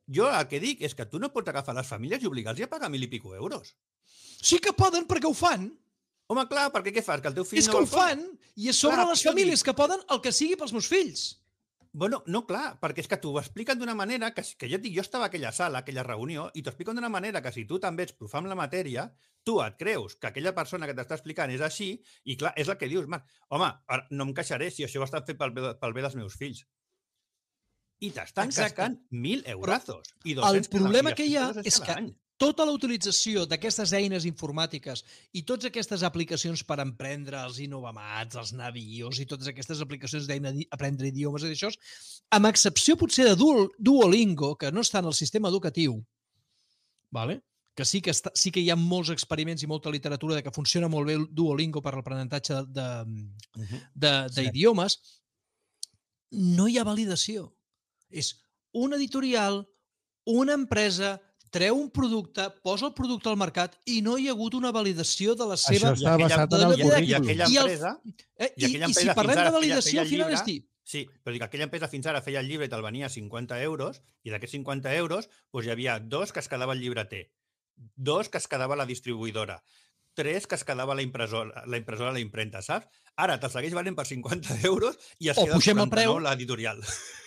Jo el que dic és que tu no pots agafar les famílies i obligar-los a pagar mil i pico euros. Sí que poden, perquè ho fan. Home, clar, perquè què fas? Que el teu fill és no que ho fan, i és sobre clar, les famílies dic... que poden el que sigui pels meus fills. Bueno, no, clar, perquè és que t'ho expliquen d'una manera que, que jo et dic, jo estava a aquella sala, a aquella reunió, i t'ho expliquen d'una manera que si tu també ets profa amb la matèria, tu et creus que aquella persona que t'està explicant és així, i clar, és el que dius, Marc, home, no em queixaré si això ho estan fent pel bé, pel bé dels meus fills. I t'estan cascant mil eurazos. I el problema que hi ha és que tota la utilització d'aquestes eines informàtiques i totes aquestes aplicacions per emprendre els Innovamats, els Navios i totes aquestes aplicacions d'aprendre idiomes i d'això, amb excepció potser de Duolingo, que no està en el sistema educatiu, vale? que, sí que, està, sí que hi ha molts experiments i molta literatura de que funciona molt bé Duolingo per l'aprenentatge d'idiomes, no hi ha validació. És un editorial, una empresa, treu un producte, posa el producte al mercat i no hi ha hagut una validació de la seva... Això està basat en el currículum. I aquella empresa... Eh, I, i, i si parlem de validació, al final és dir... Sí, però dic, aquella empresa fins ara feia el llibre i te'l venia a cinquanta euros i d'aquests cinquanta euros doncs hi havia dos que es quedava el llibreter, dos que es quedava la distribuïdora, tres que es quedava la impressora, la impressora a la impremta, saps? Ara te'l segueix valent per cinquanta euros i es queda quaranta-nou l'editorial.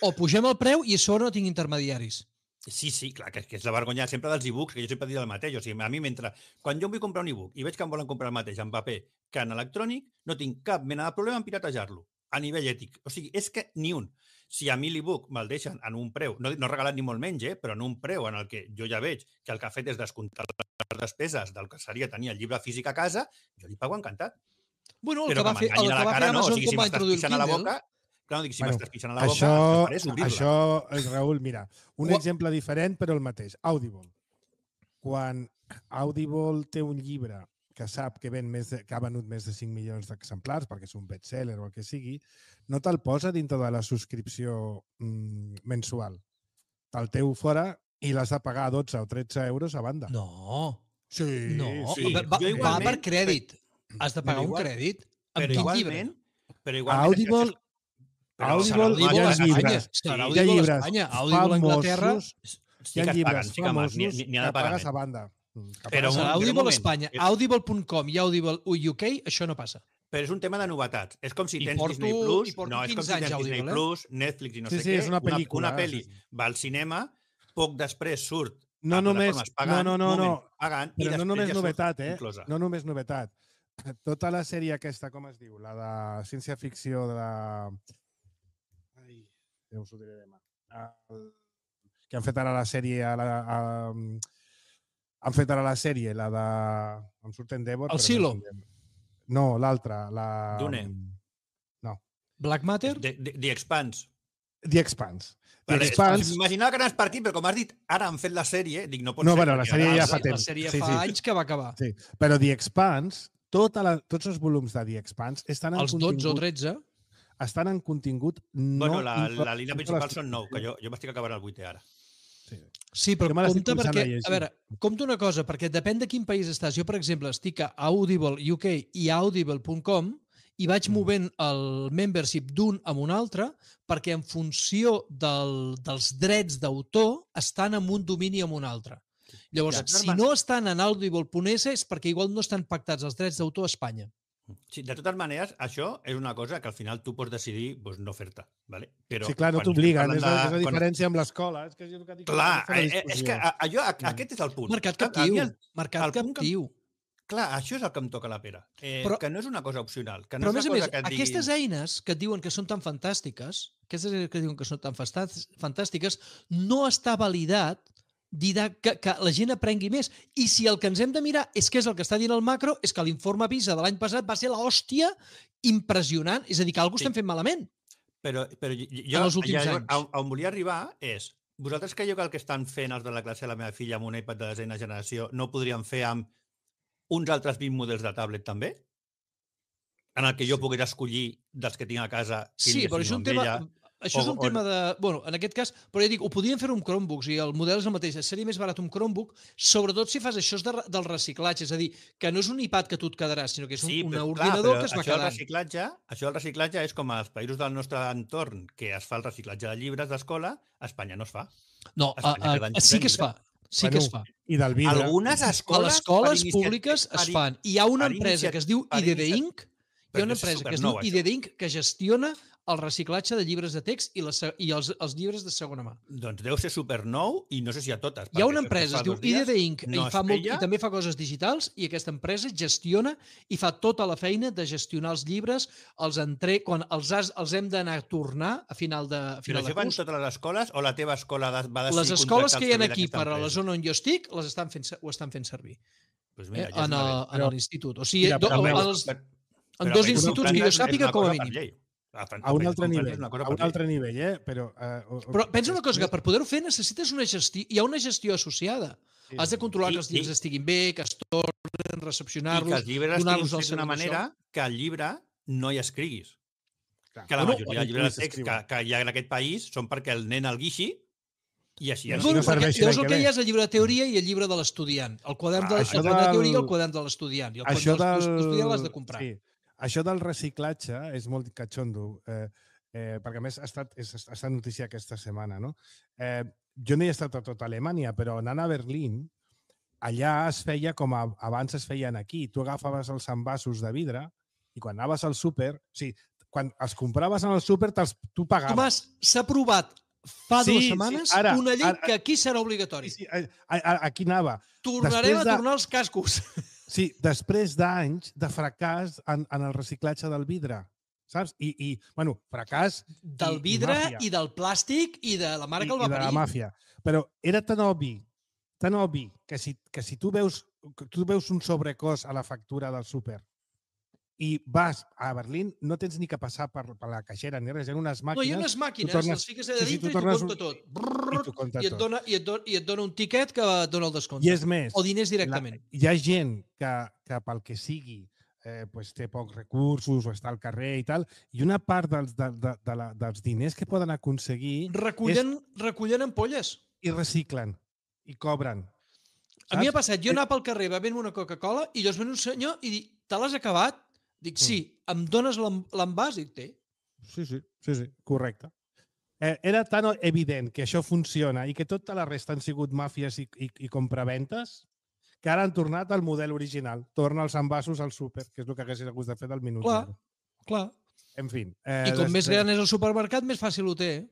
O pugem el preu i a sobre no tinc intermediaris. Sí, sí, clar, que és la vergonya sempre dels e-books, que jo sempre he dit el mateix. O sigui, a mi, mentre... Quan jo em vull comprar un e-book i veig que em volen comprar el mateix en paper que en electrònic, no tinc cap mena de problema en piratejar-lo, a nivell ètic. O sigui, és que ni un. Si a mi l'e-book me'l deixen en un preu, no, no regalat ni molt menys, eh, però en un preu en el que jo ja veig que el que ha fet és descomptar les despeses del que seria tenir el llibre físic a casa, jo li pago encantat. Bueno, el però que va fer, el que va fer Amazon quan va introduir el Kindle... Clar, no dic, si bueno, m'estàs pixant a la boca, això, el que faré és obrir-la. Això, Raül, mira, un What? exemple diferent però el mateix. Audible. Quan Audible té un llibre que sap que, ven més de, que ha venut més de cinc milions d'exemplars perquè és un bestseller o el que sigui, no te'l posa dintre de la subscripció mm, mensual. Te'l teu fora i l'has de pagar dotze o tretze euros a banda. No. Sí. No. sí. Va, va per crèdit. Has de pagar un crèdit. Però igualment, però igualment... Audible... Però Audible, hi ha llibres, hi ha llibres famosos, hi ha llibres famosos que pagues a banda. Però Audible a Espanya, audible punt com i Audible U K, això no passa. Però és un tema de novetats. És com si tens Disney Plus, no, és com si tens Disney Plus, Netflix i no sé què. és una pel·lícula. Una pel·li va al cinema, poc després surt no només, pagant, no, no, no, pagant, però no només novetat, eh? No només novetat. Tota la sèrie aquesta, com es diu? La de ciència-ficció de la... ja us ho diré demà, uh, que han fet ara la sèrie, a la, a, han fet ara la sèrie, la de... Em surt Endeavor. El Silo. No, no l'altra. La... Dune. No. Black Matter? The, the, The Expanse. The Expanse. The Vale, Expanse... M'imaginava que anaves per aquí, però com has dit, ara han fet la sèrie, dic, no pot No, ser. bueno, la perquè sèrie ara- ja fa La temps. sèrie Sí, fa sí. anys que va acabar. Sí, però The Expanse, tota la, tots els volums de The Expanse estan en Els dotze o contingut, tretze. estan en contingut no... Bueno, la, inclòs- la línia principal són nou, que jo, jo m'estic acabant el vuitè ara. Sí. Sí, però Jo me l'estic compte començant perquè, a llegir. a veure, compta una cosa, perquè depèn de quin país estàs. Jo, per exemple, estic a Audible U K i a audible punt com i vaig Mm. movent el membership d'un amb un altre perquè en funció del, dels drets d'autor estan en un domini o en un altre. Llavors, De totes si man- no estan en audible punt es és perquè igual no estan pactats els drets d'autor a Espanya. Sí, de totes maneres, això és una cosa que al final tu pots decidir pues, no fer-te. ¿vale? Però Sí, clar, no quan estem t'obliguen. parlant És, la, és la de- quan- diferència amb l'escola. És que és el que dic. Clar, aquesta és la eh, eh, és discussió. que a- allò, a- aquest és el punt. Mercat A- a mi captiu. el- Mercat el punt que- captiu. Clar, això és el que em toca la pera. Eh, Però- que no és una cosa opcional. Que no Però, a és més a una més, cosa que et aquestes diguin... eines que et diuen que són tan fantàstiques, aquestes eines que diuen que són tan fastas- fantàstiques, no està validat dida- que, que la gent aprengui més. I si el que ens hem de mirar és què és el que està dient el macro, és que l'informe PISA de l'any passat va ser l'hòstia impressionant. És a dir, que alguna cosa Sí. estem fent malament. Però, però jo, En els últims ja, anys. On, on volia arribar és, vosaltres creieu que el que estan fent els de la classe de la meva filla amb un iPad de desena generació no ho podrien fer amb uns altres vint models de tablet també? En el que jo pogués escollir dels que tinc a casa quin Sí, més però això és un tema... ella. Això és O- un o- tema de... Bueno, en aquest cas, però ja dic, ho podien fer amb Chromebooks i el model és el mateix. Seria més barat un Chromebook, sobretot si fas això és de, del reciclatge. És a dir, que no és un iPad que tu et quedaràs, sinó que és un, Sí, un però, ordinador clar, que es va això del quedant. reciclatge, això del reciclatge és com als països del nostre entorn que es fa el reciclatge de llibres d'escola, a Espanya no es fa. No, a a, Espanya a, cada any a, sí que es s'inventa. fa. Sí que es fa. I del vidre. Algunes A escoles... les escoles per inicia- públiques per es i- fan. I hi ha una per empresa inicia- que es diu per I D D inicia- Inc. Hi Però ha una això és empresa que es diu supernou, I D D Inc que gestiona el reciclatge de llibres de text i, la, se- i els, els llibres de segona mà. Doncs deu ser supernou i no sé si a totes. Hi ha perquè una fa empresa, es diu dos I D dies D Inc no i, es fa molt, feia. i també fa coses digitals i aquesta empresa gestiona i fa tota la feina de gestionar els llibres, els entre, quan els, has, els hem d'anar a tornar a final de, a Però final això de fan curs. totes les escoles o la teva escola de- va decidir Les escoles contractar que el hi ha servei aquí d'aquesta per a la empresa? zona on jo estic les estan fent, ho estan fent servir Pues mira, eh, ja és en, una el- vez. en l'institut. O sigui, Mira, do, però veus, els, Però- en però dos a instituts França que jo és una sàpiga, com a cosa per mínim. llei. A Fran- A un a altre França nivell. és una cosa A per un llei. altre nivell, eh? Però, eh, o- o- Però pensa una cosa, que després- per poder-ho fer necessites una gestió, hi ha una gestió associada. Sí, Has de controlar I- que els llibres i- estiguin bé, que es tornen, I que recepcionar-los, els llibres estiguin donar-los al fets d'una següent manera que al llibre no hi escriguis. Clar. Que la Bueno, majoria de llibres de text que, que hi ha en aquest país són perquè el nen el guixi i així I es així Bueno, no perquè serveixi llavors l'any el que que hi ve. ha és el llibre de teoria i el llibre de l'estudiant. El quadern de, Ah, el això quadern de del- teoria i el quadern de l'estudiant. I el Això quadern de del... l'estudiant l'has de comprar. Sí. Això del reciclatge és molt catxondo, eh, eh, perquè a més ha estat, és, ha estat notícia aquesta setmana, no? Eh, jo no hi he estat a tota Alemanya, però anant a Berlín, allà es feia com a, abans es feien aquí. Tu agafaves els envasos de vidre i quan anaves al súper, o sigui, quan els compraves en el súper, te'ls- tu pagaves. Tomàs, s'ha aprovat fa Sí, dues sí, setmanes ara, una llei ara- que aquí serà obligatori. Sí, sí, a, a, aquí anava. Tornarem després a de- tornar els cascos. Sí, després d'anys de fracàs en, en el reciclatge del vidre, saps? I, i bueno, fracàs Del i- vidre i, màfia. i del plàstic i de la mare i, que el i va de la parir. màfia. Però era tan obvi, tan obvi, que si, que si tu, veus, que tu veus un sobrecost a la factura del súper i vas a Berlín, no tens ni que passar per, per la caixera ni res, hi ha unes No, màquines... hi ha unes màquines, tornes- les fiques a sí, sí, dintre tu i t'ho tornes compta un- tot. i Brrr, t'ho compta I et tot. dona, i et dona, i et dona un tiquet que et dona el descompte. I és més, O diners directament. La, hi ha gent que, que pel que sigui eh, pues té pocs recursos o està al carrer i tal, i una part dels, de, de, de la, dels diners que poden aconseguir Recullen, recullen ampolles. i reciclen i cobren. A mi Saps? ha passat, jo anar pel carrer bevent una Coca-Cola i llavors ven un senyor i dic, te l'has acabat? Dic, sí, em dones l'en- l'envàs? Dic, té. Sí, sí, sí, sí, correcte. Eh, era tan evident que això funciona i que tota la resta han sigut màfies i, i, i compraventes que ara han tornat al model original. Torna els envasos al súper, que és el que hagués hagut de fer del minut Clar, zero. clar. En fi. Eh, I com més després- gran és el supermercat, més fàcil ho té. Eh?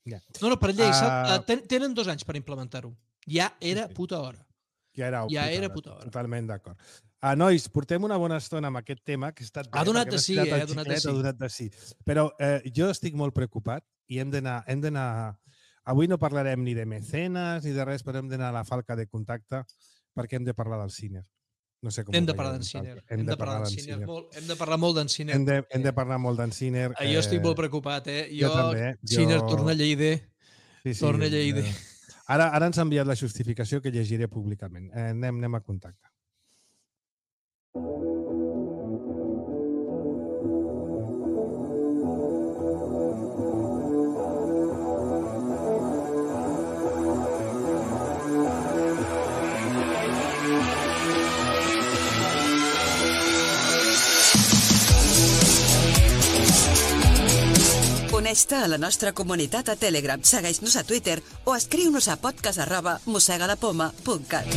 Ja. No, no, per llei, Ah. uh... ten, tenen dos anys per implementar-ho. Ja era Sí, sí. puta hora. Ja era, Ja puta era hora, puta hora. Totalment d'acord. Ah, nois, portem una bona estona amb aquest tema, que ha estat bé, Ha donat perquè de m'has sí, tirat eh, el ha donat de xiclet, sí. Ha donat de sí. Però eh, jo estic molt preocupat i hem d'anar... hem d'anar... Avui no parlarem ni de mecenes ni de res, però hem d'anar a la falca de contacte perquè hem de parlar del cine. No sé com Hem ho de parlar veieu d'en Sinner. vosaltres. Hem de parlar d'en Sinner. Molt, hem de parlar molt d'en Sinner. Hem de, hem de parlar molt d'en Sinner. Eh, jo estic molt preocupat, eh? jo Jo, també, eh? Sinner, Jo- torna a Lleida. Sí, sí, Torna a Lleida. eh, Ara, ara ens ha enviat la justificació que llegiré públicament. Eh, anem, anem a contacte. Uneix-te a la nostra comunitat a Telegram, segueix-nos a Twitter o escriu-nos a podcast arroba mosegalapoma punt cat.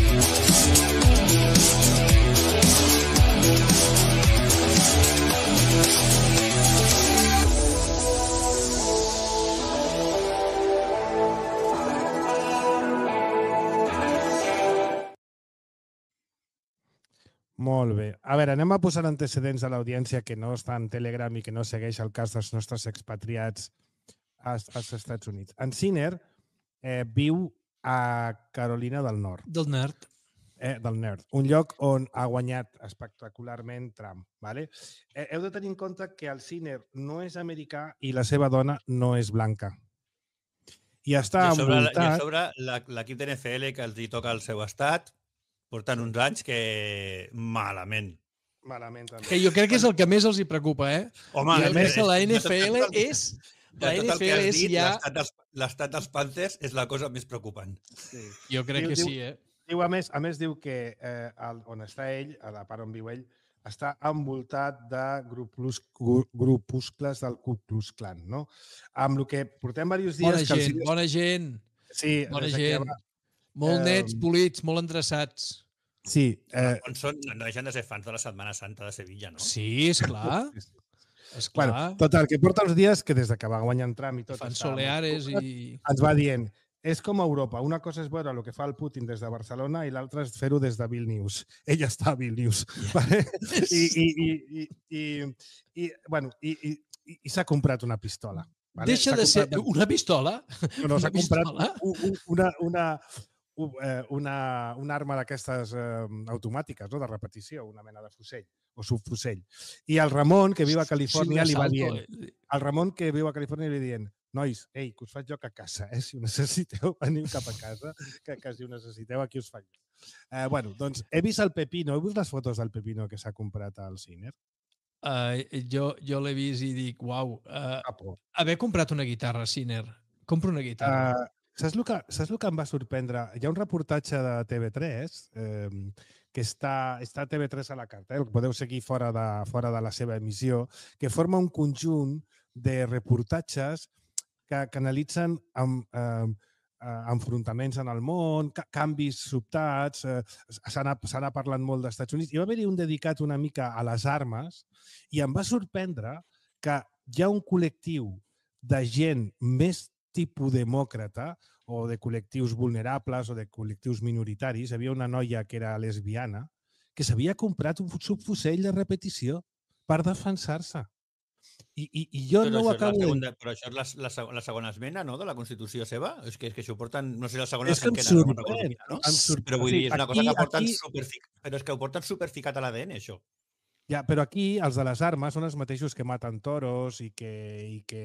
Molt bé. A veure, anem a posar antecedents a l'audiència que no està en Telegram i que no segueix el cas dels nostres expatriats als, als Estats Units. En Sinner eh, viu a Carolina del Nord, Del nerd. eh, del Nord, un lloc on ha guanyat espectacularment Trump. Vale? Eh, heu de tenir en compte que el Sinner no és americà i la seva dona no és blanca. I està I a sobre, i a envoltat... sobre la- l'equip d'N F L que els hi toca el seu estat porten uns anys que malament. Malament, també. Que jo crec que és el que més els hi preocupa, eh? Home, I a més, és- la de N tot- F L de tot el- és... de La tot N el F que L has és dit, ja... l'estat dels- L'estat dels Panthers és la cosa més preocupant. Sí. Jo crec Diu- que diu- sí, eh? Diu, a més, a més diu que eh, el, on està ell, a la part on viu ell, està envoltat de grupus, gru- grupuscles del Ku Klux Klan, no? Amb el que portem diversos dies... Bona que el gent, Sinner- bona gent. Sí, Bona des que gent. va- Molt Eh, nets, polits, molt endreçats. Sí, eh, On són, no deixen de ser fans de la Setmana Santa de Sevilla, no? Sí, esclar. sí, sí. Esclar. Bueno, total, que porta uns dies que des de que va guanyar en Trump i tot... Fan està molt soleares preocupat, i... ens va dient, és com a Europa, una cosa és veure el que fa el Putin des de Barcelona i l'altra és fer-ho des de Vilnius. Ell està a Vilnius. Vale? I, i, i, i, i, i, bueno, i, i, i, i s'ha comprat una pistola. Vale? Deixa S'ha de ser... comprat- Una pistola? No, no, s'ha una comprat pistola? u- u- una, una, u- eh, una, una arma d'aquestes eh, automàtiques, no? De repetició, una mena de fusell o subfusell. I el Ramon, que viu a Califòrnia, li va dient, el Ramon, que viu a Califòrnia, li va dient, nois, ei, que us faig joc a casa, eh? Si ho necessiteu, veniu cap a casa, que, que si ho necessiteu, aquí us faig joc. Eh, bueno, doncs he vist el Pepino, heu vist les fotos del Pepino que s'ha comprat al Sinner? Uh, jo jo l'he vist i dic, uau, uh, Capo. haver comprat una guitarra, Sinner. Compro una guitarra. Uh, saps, el que, saps el que em va sorprendre? Hi ha un reportatge de T V tres eh, que està, està a T V tres a la carta, eh? El podeu seguir fora de, fora de la seva emissió, que forma un conjunt de reportatges que, que analitzen amb, eh, eh, enfrontaments en el món, ca canvis sobtats, eh, s'ha anat, s'ha anat parlant molt dels Estats Units. Hi va haver-hi un dedicat una mica a les armes i em va sorprendre que hi ha un col·lectiu de gent més tipus demòcrata o de col·lectius vulnerables o de col·lectius minoritaris. Hi havia una noia que era lesbiana que s'havia comprat un subfusell de repetició per defensar-se. I, i, i jo Però no ho això és la acabo de... segunda, però això és la, la, seg- la segona esmena, no?, de la Constitució seva. És que, és que això ho porten... No sé, la segona És que em cinquena, no me'n recordo sorprèn, quina, no? em sorprèn. Però vull Sí, dir, és una cosa aquí- que porten aquí- superfic... Però és que ho porten superficat a l'A D N, això. Ja, però aquí els de les armes són els mateixos que maten toros i que... I que...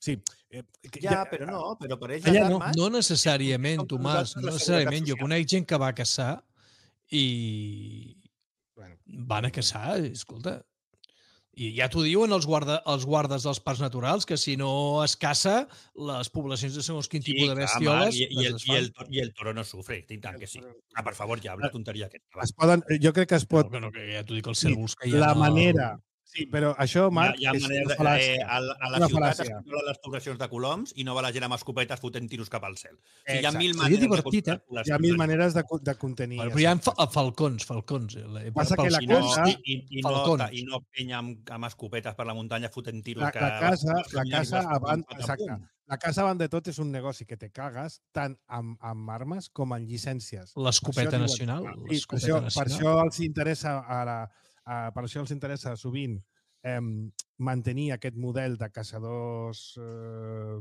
Sí, eh, que Ja, però no, però per ells Allà les no. armes... No necessàriament, com Tomàs, nosaltres no la necessàriament. seguretat Jo social. conec gent que va a caçar i Bueno, van a caçar, escolta. I ja t'ho diuen els, guarda, els guardes dels parcs naturals, que si no es caça, les poblacions de segons quin tipus de clar, bestioles Marc, i, i, el, es i, el, i el toro no sufre, i tant que sí. Ah, per favor, ja, una tonteria aquesta. va. es poden, jo crec que es pot... No, que no, que ja t'ho dic, els Sí, cérvols que hi ha... la no- manera... Sí, però això, Marc, hi ha, hi ha és manera una de, fal·làcia. eh, a, la- a la Una ciutat es fal·làcia. controlen les poblacions de coloms i no va la gent amb escopetes fotent tiros cap al cel. O sigui, hi ha Exacte. mil Seria maneres divertit, de eh? controlar Hi ha mil poblacions. maneres de, co- de contenir. Bueno, però hi ha exacte. fa- falcons, falcons. eh, Passa pels que la I no, casa- i, i, i, no, falcons. I no penya amb, amb escopetes per la muntanya fotent tiros. La, que la casa, les la famílies casa les abans, foten tot a exacte. punt. La casa abans de tot és un negoci que te cagues tant amb, amb armes com en llicències. L'escopeta Per això nacional. diuen- I per, l'escopeta això, per nacional. això els interessa a la, a, per això els interessa sovint eh, mantenir aquest model de caçadors eh,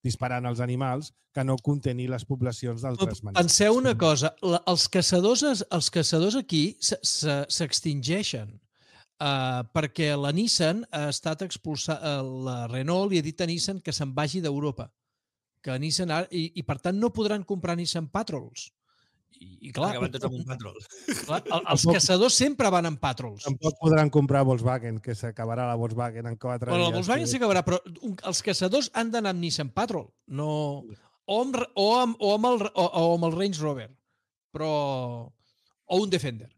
disparant als animals que no contenir les poblacions d'altres maneres. Penseu una cosa, la, els, caçadors, els caçadors aquí s'extingeixen uh, perquè la Nissan ha estat expulsada, uh, la Renault li ha dit a Nissan que se'n vagi d'Europa, que Nissan ha, i, i per tant no podran comprar Nissan Patrols. I, i clar, Acaben tots amb un Patrol. Clar, els caçadors sempre van amb Patrols. Tampoc podran comprar Volkswagen, que s'acabarà la Volkswagen en quatre bueno, dies. La Volkswagen s'acabarà, però un, els caçadors han d'anar amb Nissan Patrol, no... o, amb, o, amb, o, amb el, o, o amb el Range Rover, però... o un Defender.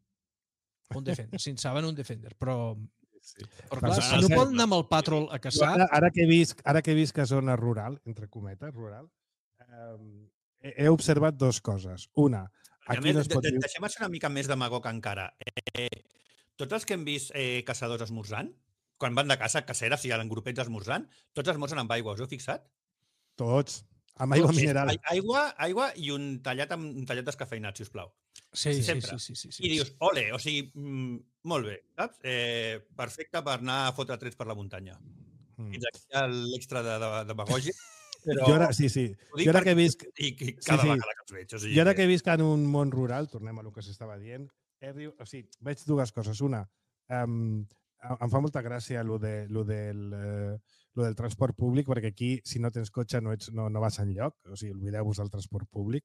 Un Defender, si en saben, un Defender, però... Sí. Però clar, si no poden anar amb el Patrol a caçar... Ara, ara, que he vist, ara que he vist que zona rural, entre cometes, rural, eh, he, he observat dues coses. Una, aquí més, no es pot de, dir... Deixem ser una mica més demagog encara. Eh, tots els que hem vist eh, caçadors esmorzant, quan van de caça, caceres, si hi ha grupets esmorzant, tots esmorzen amb aigua, us heu fixat? Tots. Amb aigua Tots, mineral. Aigua, aigua i un tallat amb un tallat descafeinat, sisplau. Sí, sí, sempre. Sí, sí, sí, sí. I dius, ole, o sigui, mm, molt bé, saps? Eh, perfecte per anar a fotre trets per la muntanya. Mm. Fins aquí l'extra de, de, de Bagògia. Però... Jo ara, sí, sí. Jo ara que he vist... I, i cada sí, sí. vegada que els veig. O sigui, jo ara que he vist que en un món rural, tornem a lo que s'estava dient, he, o sigui, veig dues coses. Una, um, em fa molta gràcia lo, de, lo, del, uh, lo del transport públic, perquè aquí, si no tens cotxe, no, ets, no, no vas enlloc. O sigui, oblideu-vos del transport públic.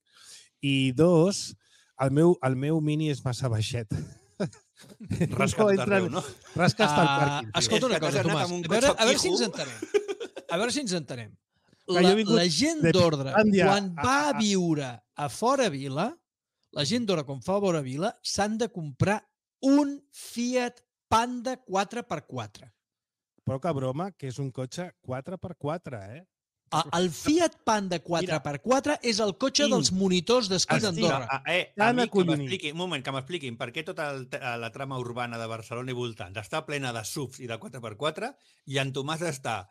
I dos, el meu, el meu mini és massa baixet. Rasca't no d'arreu, no? Rasca hasta el Uh, pàrquing. escolta una cosa, Tomàs. A veure, a veure si ens entenem. A veure si ens entenem. La, la gent d'ordre, quan va a viure a fora vila, la gent d'ordre, quan fa a fora vila, s'han de comprar un Fiat Panda quatre per quatre. Poca broma, que és un cotxe quatre per quatre, eh? El Fiat Panda quatre per quatre és el cotxe dels monitors d'esquí d'Andorra. Eh, a mi que m'expliquin, un moment, que m'expliquin per què tota el, la trama urbana de Barcelona i voltants està plena de subs i de quatre per quatre i en Tomàs està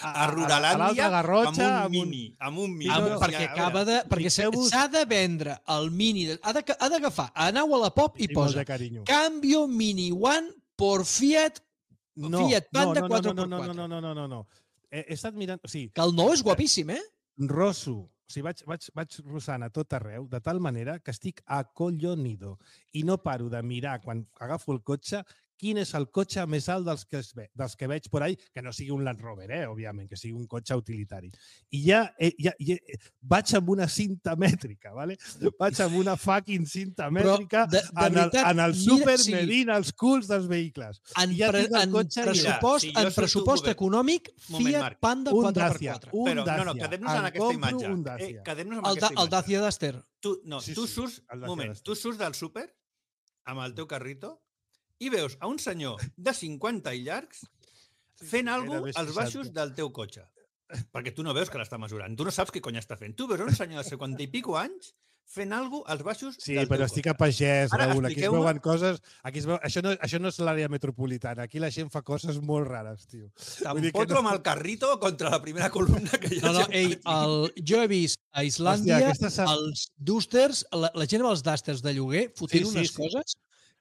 a Ruralàndia amb un mini. Amb un mini. Amb, perquè acaba de, perquè s'ha de vendre el mini. Ha d'agafar, aneu a la Pop i posa Cambio Mini One por Fiat Fiat Panda quatre per quatre. No, no, no, no, no, no. He, he estat mirant... O sigui, que el nou és guapíssim, eh? Rosso. O sigui, vaig, vaig, vaig rossant a tot arreu, de tal manera que estic acollonido. I no paro de mirar, quan agafo el cotxe, quin és el cotxe més alt dels que, es ve, dels que veig por ahí, que no sigui un Land Rover, eh, òbviament, que sigui un cotxe utilitari. I ja, eh, ja, ja vaig amb una cinta mètrica, ¿vale? Vaig amb una fucking cinta mètrica de, de en, veritat, el, en el súper sí. medint els culs dels vehicles. En, ja pre, en pressupost, mira, si en pressupost econòmic, Fiat Marc. Panda quatre per quatre. Un Però, Dacia. no, no, quedem-nos en aquesta imatge. Eh, quedem-nos en el, aquesta imatge. El Dacia Duster. Tu, no, sí, tu sí, surts, moment, tu surts del súper amb el teu carrito i veus a un senyor de cinquanta i llargs fent alguna cosa als baixos del teu cotxe. Perquè tu no veus que l'està mesurant. Tu no saps què cony està fent. Tu veus un senyor de cinquanta i pico anys fent alguna cosa als baixos sí, del teu cotxe. Sí, però estic a pagès, Raül. Aquí es veuen coses... Aquí es veu... això, no, això no és l'àrea metropolitana. Aquí la gent fa coses molt rares, tio. T'empotro no... amb el carrito contra la primera columna que hi ha. No, no, ei, el... jo he vist a Islàndia Hòstia, aquesta... els Dusters, la, la gent amb els Dusters de lloguer fotent sí, sí, unes sí. coses...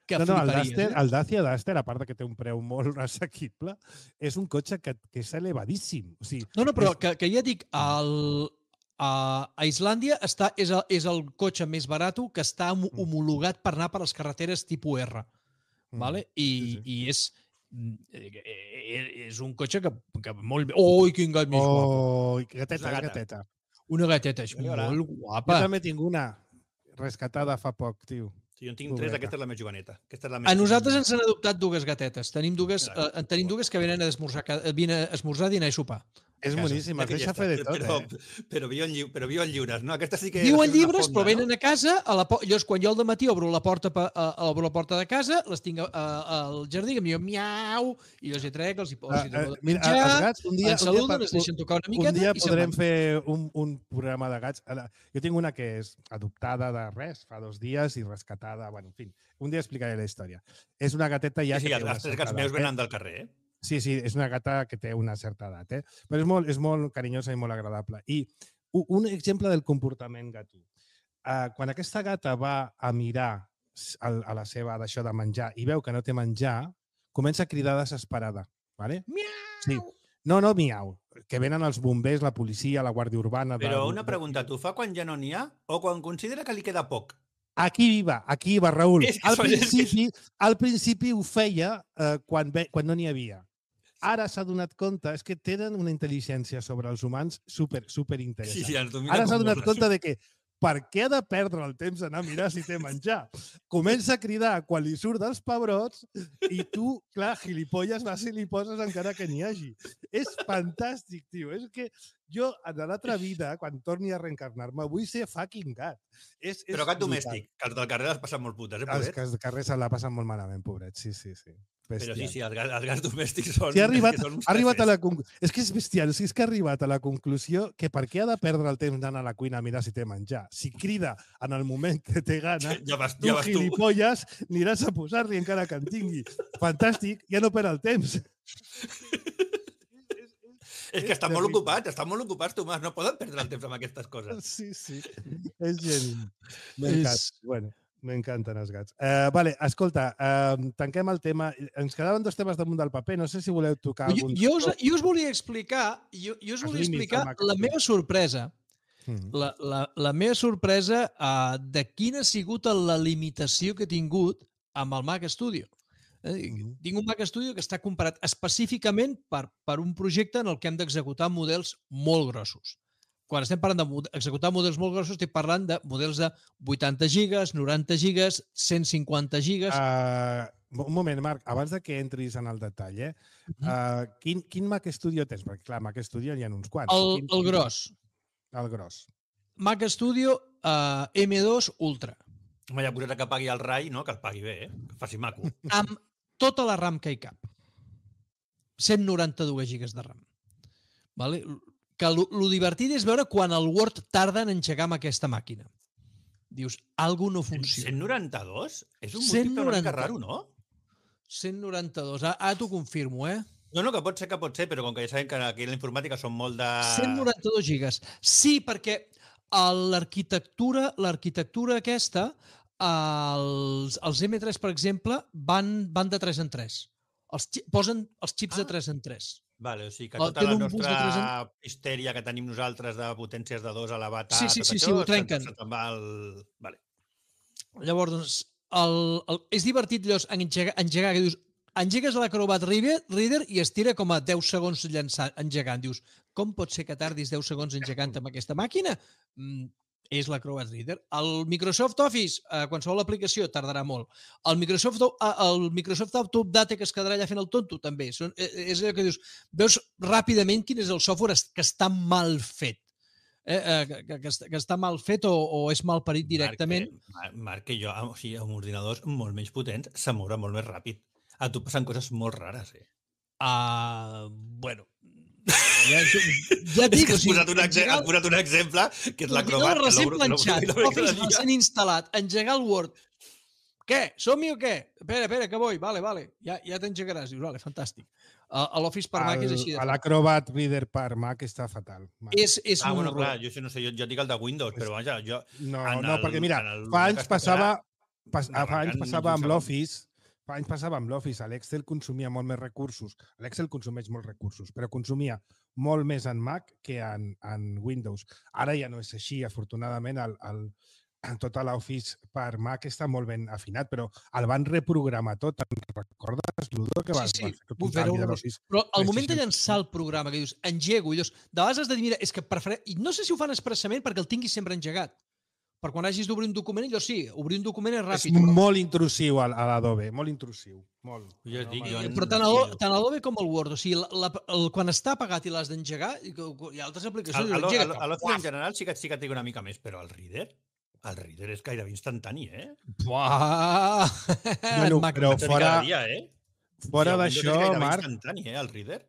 que no, no, el, Duster, eh? el Dacia Duster, a part que té un preu molt assequible, és un cotxe que, que és elevadíssim. O sigui, no, no, però és... que, que ja dic, el, a, a Islàndia està, és, el, és el cotxe més barat que està homologat per anar per les carreteres tipus R. Mm. Vale? I, sí, sí. I és, és un cotxe que, que molt bé... Oi, quin gat més oh, guapo! Oh, gateta, una gateta. Una gateta, és molt guapa. Jo també tinc una rescatada fa poc, tio. Sí, jo en tinc tres, aquesta és la més joveneta. Aquesta és la més a nosaltres ens han adoptat dues gatetes. Tenim dues, eh, tenim dues que venen a esmorzar, venen a esmorzar, dinar i sopar. És boníssim, es deixa fer de tot, però, eh? Però viuen, lli però viuen lliures, no? Aquesta sí que... Viuen lliures, però venen no? a casa, a la llavors quan jo al dematí obro la porta, a, obro la porta de casa, les tinc a, a, al jardí, que em diuen miau, i els hi trec, els hi poso, uh, uh, mira, menjar, els gats, un dia, ens saluden, un dia, ens deixen tocar una miqueta un dia i podrem fer un, un programa de gats. Jo tinc una que és adoptada de res, fa dos dies, i rescatada, bueno, en fi, un dia explicaré la història. És una gateta ja... Sí, sí, els tres gats meus venen del carrer, eh? Sí, sí, és una gata que té una certa edat, eh? Però és molt, és molt carinyosa i molt agradable. I un exemple del comportament gatú. Uh, quan aquesta gata va a mirar a, a la seva d'això de menjar i veu que no té menjar, comença a cridar desesperada. Vale? Miau! Sí. No, no, miau. Que venen els bombers, la policia, la Guàrdia Urbana... Però de... una pregunta, t'ho fa quan ja no n'hi ha o quan considera que li queda poc? Aquí va, aquí va, Raül. És que Al són- és que- principi, al principi ho feia eh, quan, ve, quan no n'hi havia. Ara s'ha donat compte, és que tenen una intel·ligència sobre els humans super, super interessant. Sí, sí, ens domina Ara s'ha com donat moles. compte de que per què ha de perdre el temps d'anar a mirar si té menjar? Comença a cridar quan li surt dels pebrots i tu, clar, gilipolles, vas i li poses encara que n'hi hagi. És fantàstic, tio. És que jo, en l'altra vida, quan torni a reencarnar-me, vull ser fucking gat. És, és Però gat brutal. domèstic, que els del carrer les passen molt putes, eh, Els pobret? que els carrers se la passen molt malament, pobret. Sí, sí, sí. Però sí, Bestial. sí, els, gats- els gats domèstics són... Sí, ha arribat, és que són uns ha arribat a jefes. la conclusió. És que és bestial. O sigui, és que ha arribat a la conclusió que per què ha de perdre el temps d'anar a la cuina a mirar si té menjar? Si crida en el moment que té gana, Ja vas, tu, ja vas tu. gilipolles, aniràs a posar-li encara que en tingui. Fantàstic, ja no perd el temps. És que estan molt terrible. ocupats, estan molt ocupats, Tomàs, no poden perdre el temps amb aquestes coses. Sí, sí. És geni. M'encanta. És- Bueno, m'encanten els gats. Uh, vale, escolta, uh, tanquem el tema. Ens quedaven dos temes damunt del paper. No sé si voleu tocar Jo, algun... jo, us, jo us volia explicar, jo, jo us Els volia límits explicar del Mac la Studio. meva sorpresa. Mm. La, la, la meva sorpresa uh, de quina ha sigut la limitació que he tingut amb el Mac Studio. Eh, Mhm. Tinc un Mac Studio que està comparat específicament per, per un projecte en el que hem d'executar models molt grossos. Quan estem parlant d'executar models molt grossos, estic parlant de models de vuitanta gigas, noranta gigas, cent cinquanta gigas. Uh, un moment, Marc, abans de que entris en el detall, eh? Uh, quin, quin Mac Studio tens? Perquè, clar, Mac Studio n'hi ha uns quants. el, Quin- el gros. El gros. Mac Studio uh, M dos Ultra. Home, ja posat que pagui el rai, no? Que el pagui bé, eh? Que faci maco. Amb tota la RAM que hi cap. cent noranta-dos gigas de RAM. Vale? Que lo, lo divertit és veure quan el Word tarda en engegar amb aquesta màquina. Dius, algú no funciona. cent noranta-dos? És un múltiple una mica raro, no? cent noranta-dos. Ara, ara t'ho confirmo, eh? No, no, que pot ser, que pot ser, però com que ja sabem que aquí a la informàtica són molt de... cent noranta-dos gigas. Sí, perquè a l'arquitectura l'arquitectura aquesta, els, els M tres, per exemple, van, van de tres en tres. Els, xi- posen els xips Ah. de tres en tres. Vale, o sigui que El- tota tenen la un bus de nostra histèria que tenim nosaltres de potències de dos elevat a Sí, sí, tot sí, això, sí, ho se'n- trenquen. se'n te'n va el... Vale. Llavors, doncs, el, el, és divertit llavors engegar, engegar que dius, engegues l'Acrobat Reader, Reader i es tira com a deu segons llançant, engegant. Dius, com pot ser que tardis deu segons engegant amb aquesta màquina? Mm, és l'Acrobat Reader. El Microsoft Office, eh, qualsevol aplicació, tardarà molt. El Microsoft, eh, el Microsoft Update, que es quedarà allà fent el tonto, també. Són, eh, és allò que dius, veus ràpidament quin és el software es- que està mal fet. Eh, eh, que, que, que, està, que està mal fet o, o és mal parit directament. Marc, que, Marc, que jo, o sigui, amb ordinadors molt menys potents, se mourà molt més ràpid. A tu passen coses molt rares, eh? Uh, bueno, ja, ja et És dic, que o has sigui, posat, un exemple, engegar has posat un exemple que és l'acrobat. l'ordinador que recent l'obro- que l'obro- planxat, que l'obro Office cada dia. recent instal·lat, engegar el Word. Què? Som-hi o què? Espera, espera, que vull. Vale, vale. Ja, ja t'engegaràs. Dius, vale, fantàstic. Uh, l'Office per Mac és així. De L'Acrobat Reader per Mac està fatal. Marc. és, és Ah, un bueno, horror. clar, jo això no sé, jo, jo dic el de Windows, però vaja, jo... No, en no, el- perquè mira, en el fa que anys es passava, pas, no, fa anys arrencant passava amb un segon. l'Office, fa anys passava amb l'Office, l'Excel consumia molt més recursos. L'Excel consumeix molts recursos, però consumia molt més en Mac que en, en Windows. Ara ja no és així, afortunadament, el, el, tota l'Office per Mac està molt ben afinat, però el van reprogramar tot. Te'n recordes, Ludo, que Sí, vas, sí, vas fer tot vull un fer-ho canvi de horrorós. l'Office? Però al Sí, moment sí, de sí. llançar el programa, que dius, engego, i dius, de vegades has de dir, mira, és que prefereix... I no sé si ho fan expressament perquè el tinguis sempre engegat. Per quan hagis d'obrir un document, allò sí, obrir un document és És ràpid. però- molt intrusiu a, a l'Adobe, molt intrusiu. Molt. Jo us dic, jo m'agrada. en- Però tant Sí, el, no. tant l'Adobe com el Word, o sigui, la, la, el, quan està apagat i l'has d'engegar, i que- hi ha altres A, aplicacions, a, i l'engega a, a l'Office en com, general sí que, sí que et dic una mica més, però el Reader, el Reader és gairebé instantani, eh? Buah! Bueno, Mac- però Vaig a dir fora, cada dia, eh? fora I el Windows d'això, és gairebé Marc, instantani, eh, el Reader.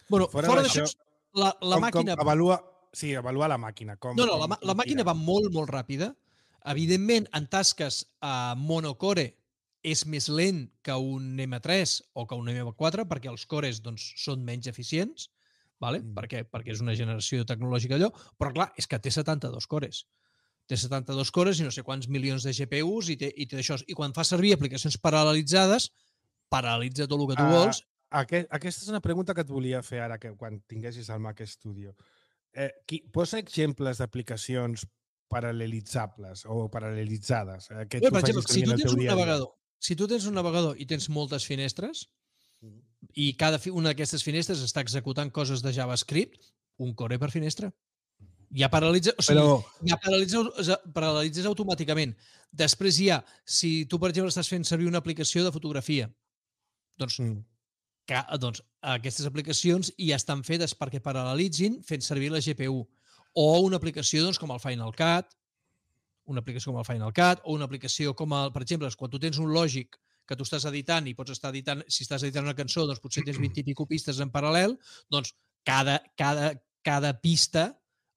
Bueno, fora fora d'això, d'això, la, la com, màquina... com avalua, sí, avalua la màquina. Com, No, no, com, la, ma- com la màquina tira. va molt, molt ràpida. Evidentment, en tasques a monocore és més lent que un M tres o que un M quatre perquè els cores doncs, són menys eficients, vale? Mm. per què? Perquè és una generació tecnològica allò, però clar, és que té setanta-dos cores. Té setanta-dos cores i no sé quants milions de G P Us i té, i té això. I quan fa servir aplicacions paral·lelitzades, paralitza tot el que tu Uh, vols. aquest, aquesta és una pregunta que et volia fer ara, que quan tinguessis el Mac Studio. Eh, qui, posa exemples d'aplicacions paral·lelitzables o paral·lelitzades. Eh, que Bé, tu per exemple, facis si servir tu en el tens teu un dia a dia. navegador, si tu tens un navegador i tens moltes finestres, i cada fi- una d'aquestes finestres està executant coses de JavaScript, un core per finestra. Ja paralitza, o sigui, Però, ja paralitza, paralitzes automàticament. Després hi ha, si tu, per exemple, estàs fent servir una aplicació de fotografia, doncs, mm, que, doncs aquestes aplicacions ja estan fetes perquè paral·lelitzin fent servir la G P U. O una aplicació doncs, com el Final Cut, una aplicació com el Final Cut, o una aplicació com, el, per exemple, quan tu tens un Logic que tu estàs editant i pots estar editant, si estàs editant una cançó, doncs potser tens vint i pico pistes en paral·lel, doncs cada, cada, cada pista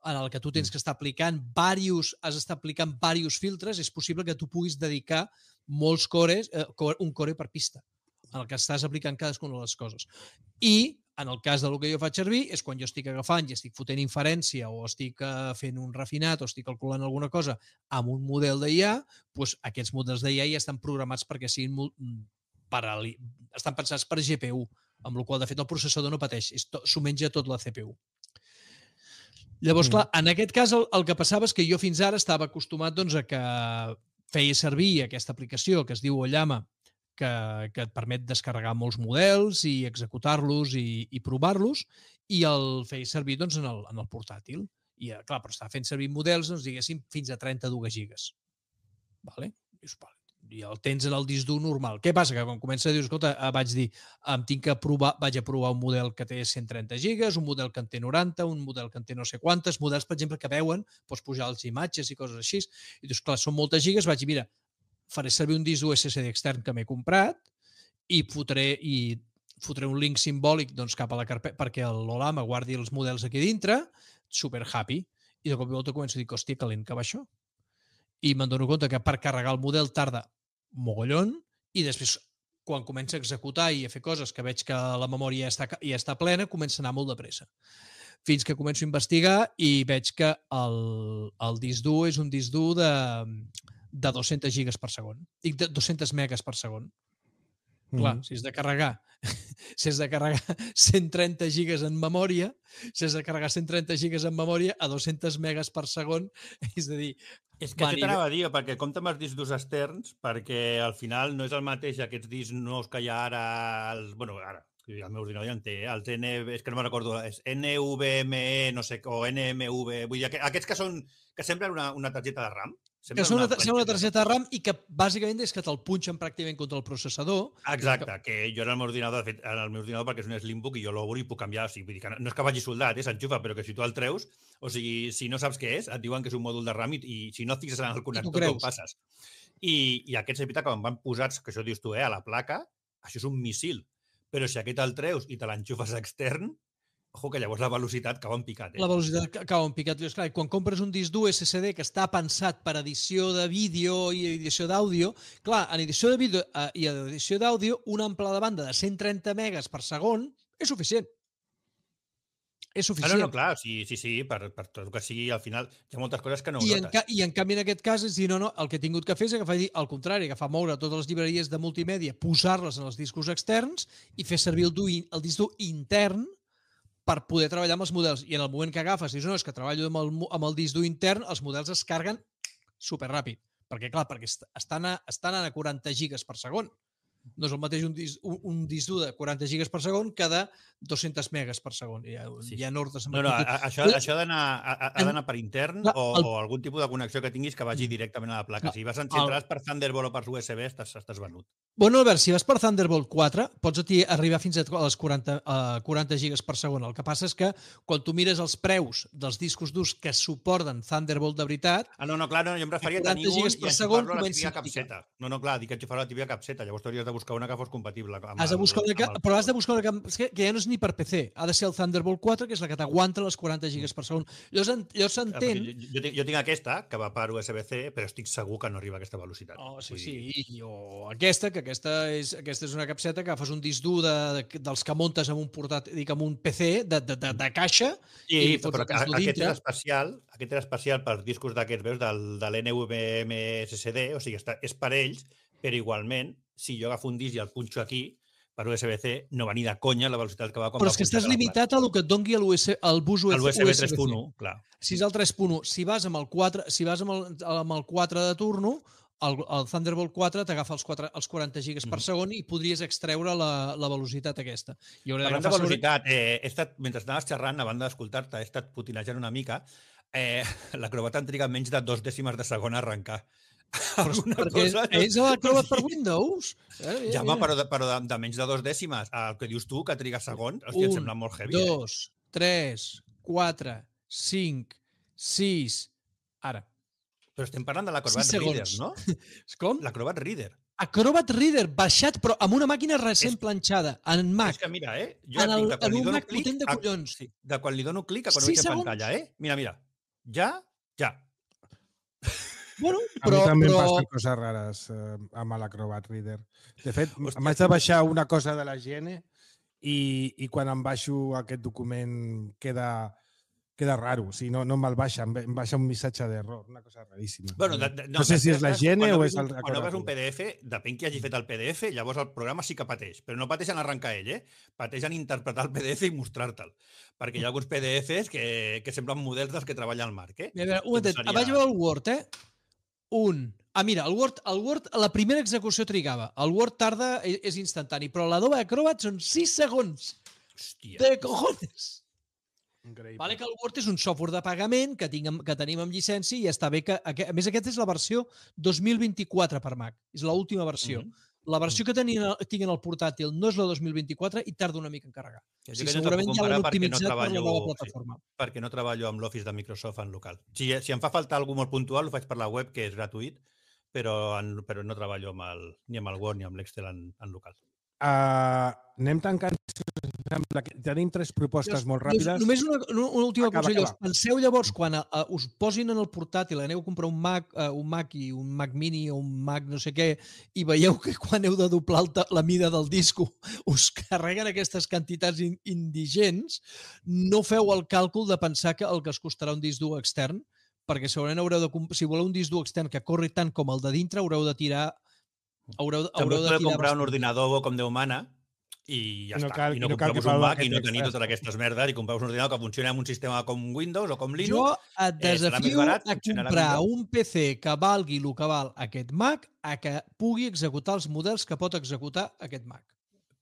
en el que tu tens que estar aplicant varios, has d'estar aplicant diversos filtres, és possible que tu puguis dedicar molts cores, eh, un core per pista, en el que estàs aplicant cadascuna de les coses. I, en el cas del que jo faig servir, és quan jo estic agafant i estic fotent inferència o estic uh, fent un refinat o estic calculant alguna cosa amb un model d'I A, doncs aquests models d'I A ja estan programats perquè siguin paral·li... estan pensats per G P U, amb la qual de fet el processador no pateix, s'ho menja tot la C P U. Llavors, clar, en aquest cas el, el que passava és que jo fins ara estava acostumat doncs, a que feia servir aquesta aplicació que es diu Ollama, que, que et permet descarregar molts models i executar-los i, i provar-los, i el feia servir doncs, en, el, en el portàtil. I, clar, però estava fent servir models, doncs, diguéssim, fins a trenta-dues gigas. Vale? Dius, vale. I el tens en el disc dur normal. Què passa? Que quan comença a dir, escolta, vaig dir, em tinc que provar, vaig a provar un model que té cent trenta gigas, un model que en té noranta, un model que en té no sé quantes, models, per exemple, que veuen, pots pujar les imatges i coses així. I dius, clar, són moltes gigas, vaig dir, mira, faré servir un disc U S S D extern que m'he comprat i fotré, i fotré un link simbòlic doncs, cap a la carpeta perquè l'Olama guardi els models aquí dintre, super happy. I de cop i volta començo a dir, hòstia, que lent que va això. I me'n dono compte que per carregar el model tarda mogollon, i després, quan comença a executar i a fer coses que veig que la memòria ja està, ja està plena, comença a anar molt de pressa. Fins que començo a investigar i veig que el, el disc dur és un disc dur de, de dos-centes gigas per segon. Dic de dos-centes megas per segon. Mm-hmm. Clar, si has de carregar si has de carregar cent trenta gigas en memòria, si has de carregar cent trenta gigas en memòria a dos-centes megas per segon, és a dir... És que això t'anava a dir, perquè compta amb els discs durs externs, perquè al final no és el mateix aquests discs nous que hi ha ara, els, bueno, ara, el meu ordinador ja en té, els N, és que no me'n recordo, és N V M E, no sé, o N M V, vull dir, aquests que són, que semblen una, una targeta de RAM, que són una, una, una targeta de RAM i que bàsicament és que te'l punxen pràcticament contra el processador. Exacte, que jo en el meu ordinador, de fet, en el meu ordinador perquè és un Slimbook i jo l'obro i puc canviar, o sigui, vull dir que no, no és que vagi soldat, eh, s'enxufa, però que si tu el treus, o sigui, si no saps què és, et diuen que és un mòdul de RAM i, i si no et fixes en el connector, no ho passes. I, i aquests, és veritat, quan van posats, que això dius tu, eh, a la placa, això és un missil, però si aquest el treus i te l'enxufes extern, ojo, que llavors la velocitat cau en picat. Eh? La velocitat cau en picat. Clar, quan compres un disc U S S D que està pensat per edició de vídeo i edició d'àudio, clar, en edició de vídeo i en edició d'àudio, una amplada de banda de cent trenta megas per segon és suficient. És suficient. Ah, no, no, clar, sí, sí, sí, per, per tot el que sigui, al final hi ha moltes coses que no ho I notes. En, I en canvi, en aquest cas, és dir, no, no, el que he tingut que fer és agafar, dir, al contrari, agafar moure totes les llibreries de multimèdia, posar-les en els discos externs i fer servir el, du, el disc dur intern per poder treballar amb els models. I en el moment que agafes, dius, no, és que treballo amb el, amb el disc dur intern, els models es carreguen superràpid. Perquè, clar, perquè estan a, estan a quaranta gigas per segon. No és el mateix un disc, un, un disc dur de quaranta gigas per segon que de dos-centes megas per segon. Hi ha, sí. hi ha ordres... No, no, a, això, això ha d'anar per intern el, o, o algun tipus de connexió que tinguis que vagi directament a la placa. Si vas enxentrar per Thunderbolt o per U S B, estàs, estàs venut. Bueno, Albert, si vas per Thunderbolt quatre, pots arribar fins a les quaranta, uh, quaranta gigas per segon. El que passa és que quan tu mires els preus dels discos durs que suporten Thunderbolt de veritat... Ah, no, no, clar, no, jo em referia a tenir un i enxufar-lo a la tibia capseta. No, no, clar, dic que enxufar-lo a la tibia capseta. Llavors t'hauries de buscar una que fos compatible. Amb has de buscar una que, el... però has de buscar una que, que ja no és ni per P C. Ha de ser el Thunderbolt quatre, que és la que t'aguanta les quaranta gigas per segon. Llavors, llavors s'entén... Jo, jo, tinc, jo tinc aquesta, que va per U S B C, però estic segur que no arriba a aquesta velocitat. Oh, sí, sí. I, o aquesta, que aquesta és, aquesta és una capseta que agafes un disc dur de, de, dels que muntes amb un portat, dic, amb un P C de, de, de, de caixa i, i fots el disc dur dintre. Aquest és especial, aquest és especial per discos d'aquests, veus, del, de l'N V M S S D, o sigui, està, és per ells, però igualment, si jo agafo un disc i el punxo aquí, per U S B C no va ni de conya la velocitat que va quan Però va és que estàs punxar la limitat a lo que et doni el bus placa. El U S B U S B tres punt C. u, clar. Si és el tres punt u, si vas amb el quatre, si vas amb el, amb el quatre de turno, el, el Thunderbolt quatre t'agafa els, quatre, els quaranta gigas per segon i podries extreure la, la velocitat aquesta. I Parlant de velocitat, eh, he estat, mentre estaves xerrant, a banda d'escoltar-te, he estat putinejant una mica, eh, l'acrobat en triga menys de dos dècimes de segon a arrencar. Alguna perquè cosa, és l'acrobat per Windows. Eh, ja, home, però, de, però de, de menys de dos dècimes. El que dius tu, que triga segons, hòstia, em sembla molt heavy. Un, dos, tres, quatre, cinc, sis... Ara. Però estem parlant de l'Acrobat Reader, no? Com? L'Acrobat Reader. Acrobat Reader, baixat, però amb una màquina recent és, planxada, en Mac. És que mira, eh? Jo en, el, de quan en li un dono Mac clic, potent de collons. A, sí, de quan li dono clic a quan sí, veig en pantalla, eh? Mira, mira. Ja, ja. Bueno, però, a mi també però... em passen coses rares eh, amb l'Acrobat Reader. De fet, m'haig de baixar una cosa de la G N i, i quan em baixo aquest document queda... queda raro, o sigui, no, no me'l baixa, em baixa un missatge d'error, una cosa raríssima. Bueno, de, de, no, no sé si és la G N o és el... Quan obres un P D F, depèn qui hagi fet el P D F, llavors el programa sí que pateix, però no pateix en arrencar ell, eh? Pateix en interpretar el P D F i mostrar-te'l, perquè hi ha alguns P D Fs que, que semblen models dels que treballa el Marc, eh? A veure, un momentet, seria... vaig veure el Word, eh? Un. Ah, mira, el Word, el Word, la primera execució trigava. El Word tarda, és, és instantani, però l'Adobe Acrobat són sis segons. Hòstia. De cojones. Increïble. Vale que el Word és un software de pagament que, tinc, que tenim amb llicència i està bé que... A més, aquesta és la versió dos mil vint-i-quatre per Mac. És l'última versió. Mm -hmm. La versió que tenia, tinc en el portàtil no és la dos mil vint-i-quatre i tarda una mica en carregar. O sigui, segurament no ja l'han optimitzat no treballo, per la nova plataforma. Sí, perquè no treballo amb l'Office de Microsoft en local. Si, si em fa falta algú molt puntual, ho faig per la web, que és gratuït, però, en, però no treballo amb el, ni amb el Word ni amb l'Excel en, en local. Uh, anem tancant. Tenim tres propostes molt ràpides. Només una, una última cosa. Penseu llavors, quan a, a, us posin en el portàtil, aneu a comprar un Mac, uh, un Mac i un Mac Mini o un Mac no sé què, i veieu que quan heu de doblar el, la mida del disco us carreguen aquestes quantitats in, indigents, no feu el càlcul de pensar que el que es costarà un disc dur extern, perquè segurament haureu de, si voleu un disc dur extern que corri tant com el de dintre, haureu de tirar Haureu, haureu de tirar comprar un ordinador com Déu mana i ja no està. Cal, I no, no compreu un Mac i no tenir totes aquestes merdes i compreu un ordinador que funcioni amb un sistema com Windows o com Linux. Jo et desafio eh, barat, a comprar un P C que valgui el que val aquest Mac a que pugui executar els models que pot executar aquest Mac.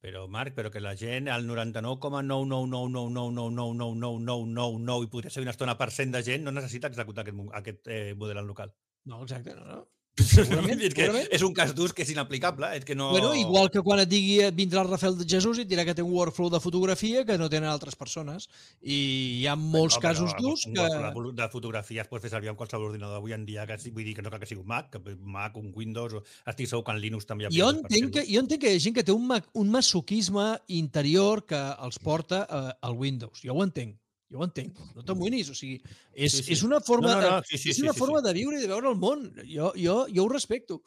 Però, Marc, però que la gent, el noranta-nou coma nou nou nou nou nou nou nou nou nou nou nou nou i podria ser una estona per cent de gent no necessita executar aquest, aquest eh, model en local. No, exacte, no, no. Segurament, és, que és un cas d'ús que és inaplicable. És que no... Bueno, igual que quan et digui vindrà el Rafael de Jesús i et dirà que té un workflow de fotografia que no tenen altres persones. I hi ha molts bueno, casos d'ús que... Un de fotografia es pot fer servir amb qualsevol ordinador avui en dia, que vull dir que no cal que sigui un Mac, que un Mac, un Windows, o... estic segur que en Linux també hi ha... Jo entenc, que, jo entenc que hi ha gent que té un, un masoquisme interior que els porta eh, al Windows. Jo ho entenc. Jo ho entenc, no t'amoïnis, o sigui, és, sí, sí. és una forma, no, no, no. Sí, sí, és una sí, sí, forma sí. de viure i de veure el món. Jo, jo, jo ho respecto.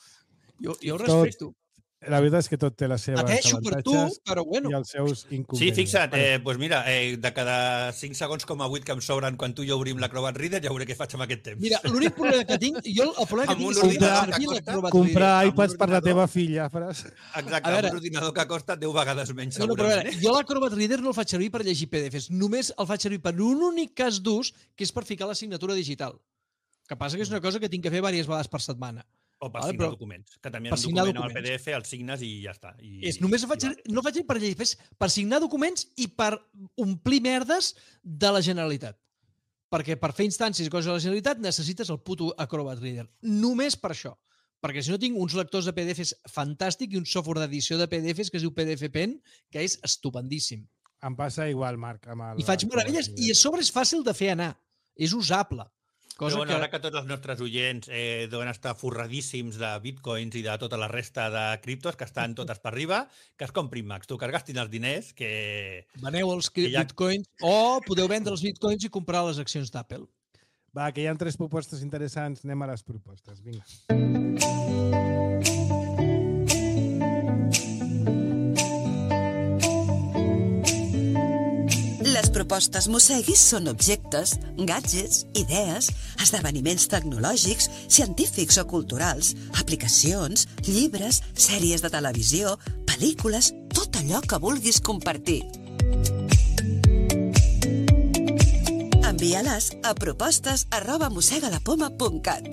Jo, jo ho respecto. Tot, la veritat és que tot té les seves Pateixo avantatges tu, però bueno. i els seus inconvenients. Sí, fixa't, eh, doncs mira, eh, de cada cinc segons com a vuit que em sobren quan tu i jo obrim l'Acrobat Reader, ja veuré què faig amb aquest temps. Mira, l'únic problema que tinc, jo el problema que tinc és comprar, comprar, comprar iPads per la teva filla, Fras. Exacte, veure, un ordinador que costa deu vegades menys, no, no, però a veure, jo l'Acrobat Reader no el faig servir per llegir P D Fs, només el faig servir per un únic cas d'ús, que és per ficar la signatura digital. Que passa que és una cosa que tinc que fer diverses vegades per setmana. O per vale, signar documents, que també en un document amb el P D F el signes i ja està. I, és, només i, faig, i no faig per llegir, és per signar documents i per omplir merdes de la Generalitat. Perquè per fer instàncies i coses de la Generalitat necessites el puto Acrobat Reader. Només per això. Perquè si no tinc uns lectors de P D Fs fantàstic i un software d'edició de P D Fs que es diu P D F Pen, que és estupendíssim. Em passa igual, Marc. Amb el, I faig meravelles. I a sobre és fàcil de fer anar. És usable. Cosa però bueno, que... ara que tots els nostres oients eh, deuen estar forradíssims de bitcoins i de tota la resta de criptos que estan totes per arriba, que es comprin Macs. Tu, que es gastin els diners, que... Veneu els que ja... bitcoins o podeu vendre els bitcoins i comprar les accions d'Apple. Va, que hi ha tres propostes interessants. Anem a les propostes. Vinga. Les propostes Mosseguis són objectes, gadgets, idees, esdeveniments tecnològics, científics o culturals, aplicacions, llibres, sèries de televisió, pel·lícules, tot tot allò que vulguis compartir. Envia-les a propostes arroba mossegalapoma punt cat.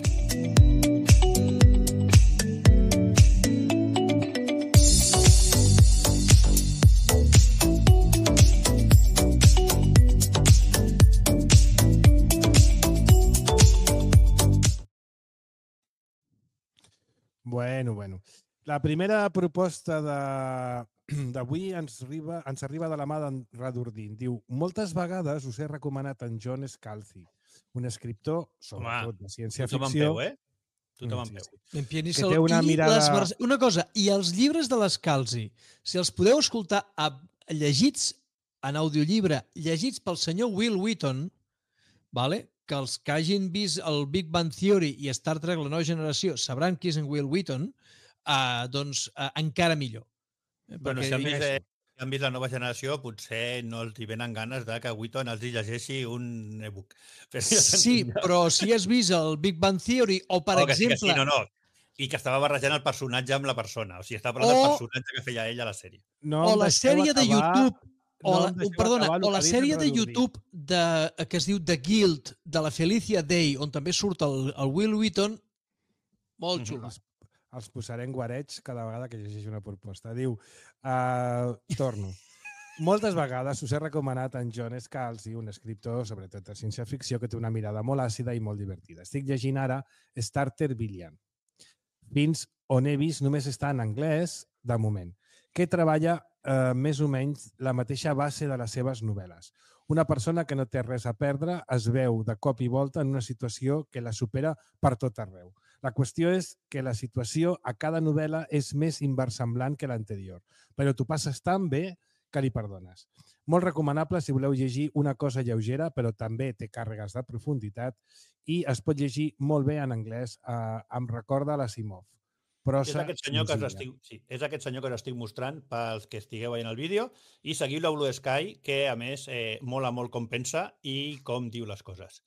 Bueno, bueno. La primera proposta d'avui ens, arriba, ens arriba de la mà d'en Radurdin. Diu, moltes vegades us he recomanat en John Scalzi, un escriptor, sobretot de ciència-ficció. Tothom en peu, eh? Tothom en peu. En pianista, Que té una i mirada- les vers- Una cosa, i els llibres de l'Escalzi, si els podeu escoltar a, llegits en audiollibre, llegits pel senyor Will Wheaton, vale? Que els que hagin vist el Big Bang Theory i Star Trek La nova generació sabran qui és en Will Wheaton, uh, doncs uh, encara millor. Eh, Bueno, perquè- si han, vist, eh, si han vist la nova generació, potser no els hi venen ganes de que Wheaton els hi llegeixi un e-book. Però ja Sí, s'entén. però si has vist el Big Bang Theory o, per Oh, que sí, exemple... que sí, no, no. I que estava barrejant el personatge amb la persona. O sigui, estava parlant O- del personatge que feia ell a la sèrie. No o em la deixeu sèrie de acabar- YouTube o no la, em deixeu perdona, acabar el o la que ha dit sèrie en de Radurdin. YouTube de, que es diu The Guild, de la Felicia Day, on també surt el, el Will Wheaton, molt Mhm. xula. Els, els posaré en guareig cada vegada que llegeixi una proposta. Diu, uh, torno. Moltes vegades us he recomanat en John Scalzi, un escriptor, sobretot de ciència-ficció, que té una mirada molt àcida i molt divertida. Estic llegint ara Starter Billion. Fins on he vist només està en anglès, de moment, que treballa eh, més o menys la mateixa base de les seves novel·les. Una persona que no té res a perdre es veu de cop i volta en una situació que la supera per tot arreu. La qüestió és que la situació a cada novel·la és més inversemblant que l'anterior, però tu passes tan bé que li perdones. Molt recomanable si voleu llegir una cosa lleugera, però també té càrregues de profunditat i es pot llegir molt bé en anglès. Eh, em recorda l'Asimov. És Prosa aquest, senyor que us senzilla. estic, sí, és aquest senyor que us estic mostrant pels que estigueu veient el vídeo i seguiu la Blue Sky, que a més eh, mola molt com pensa i com diu les coses.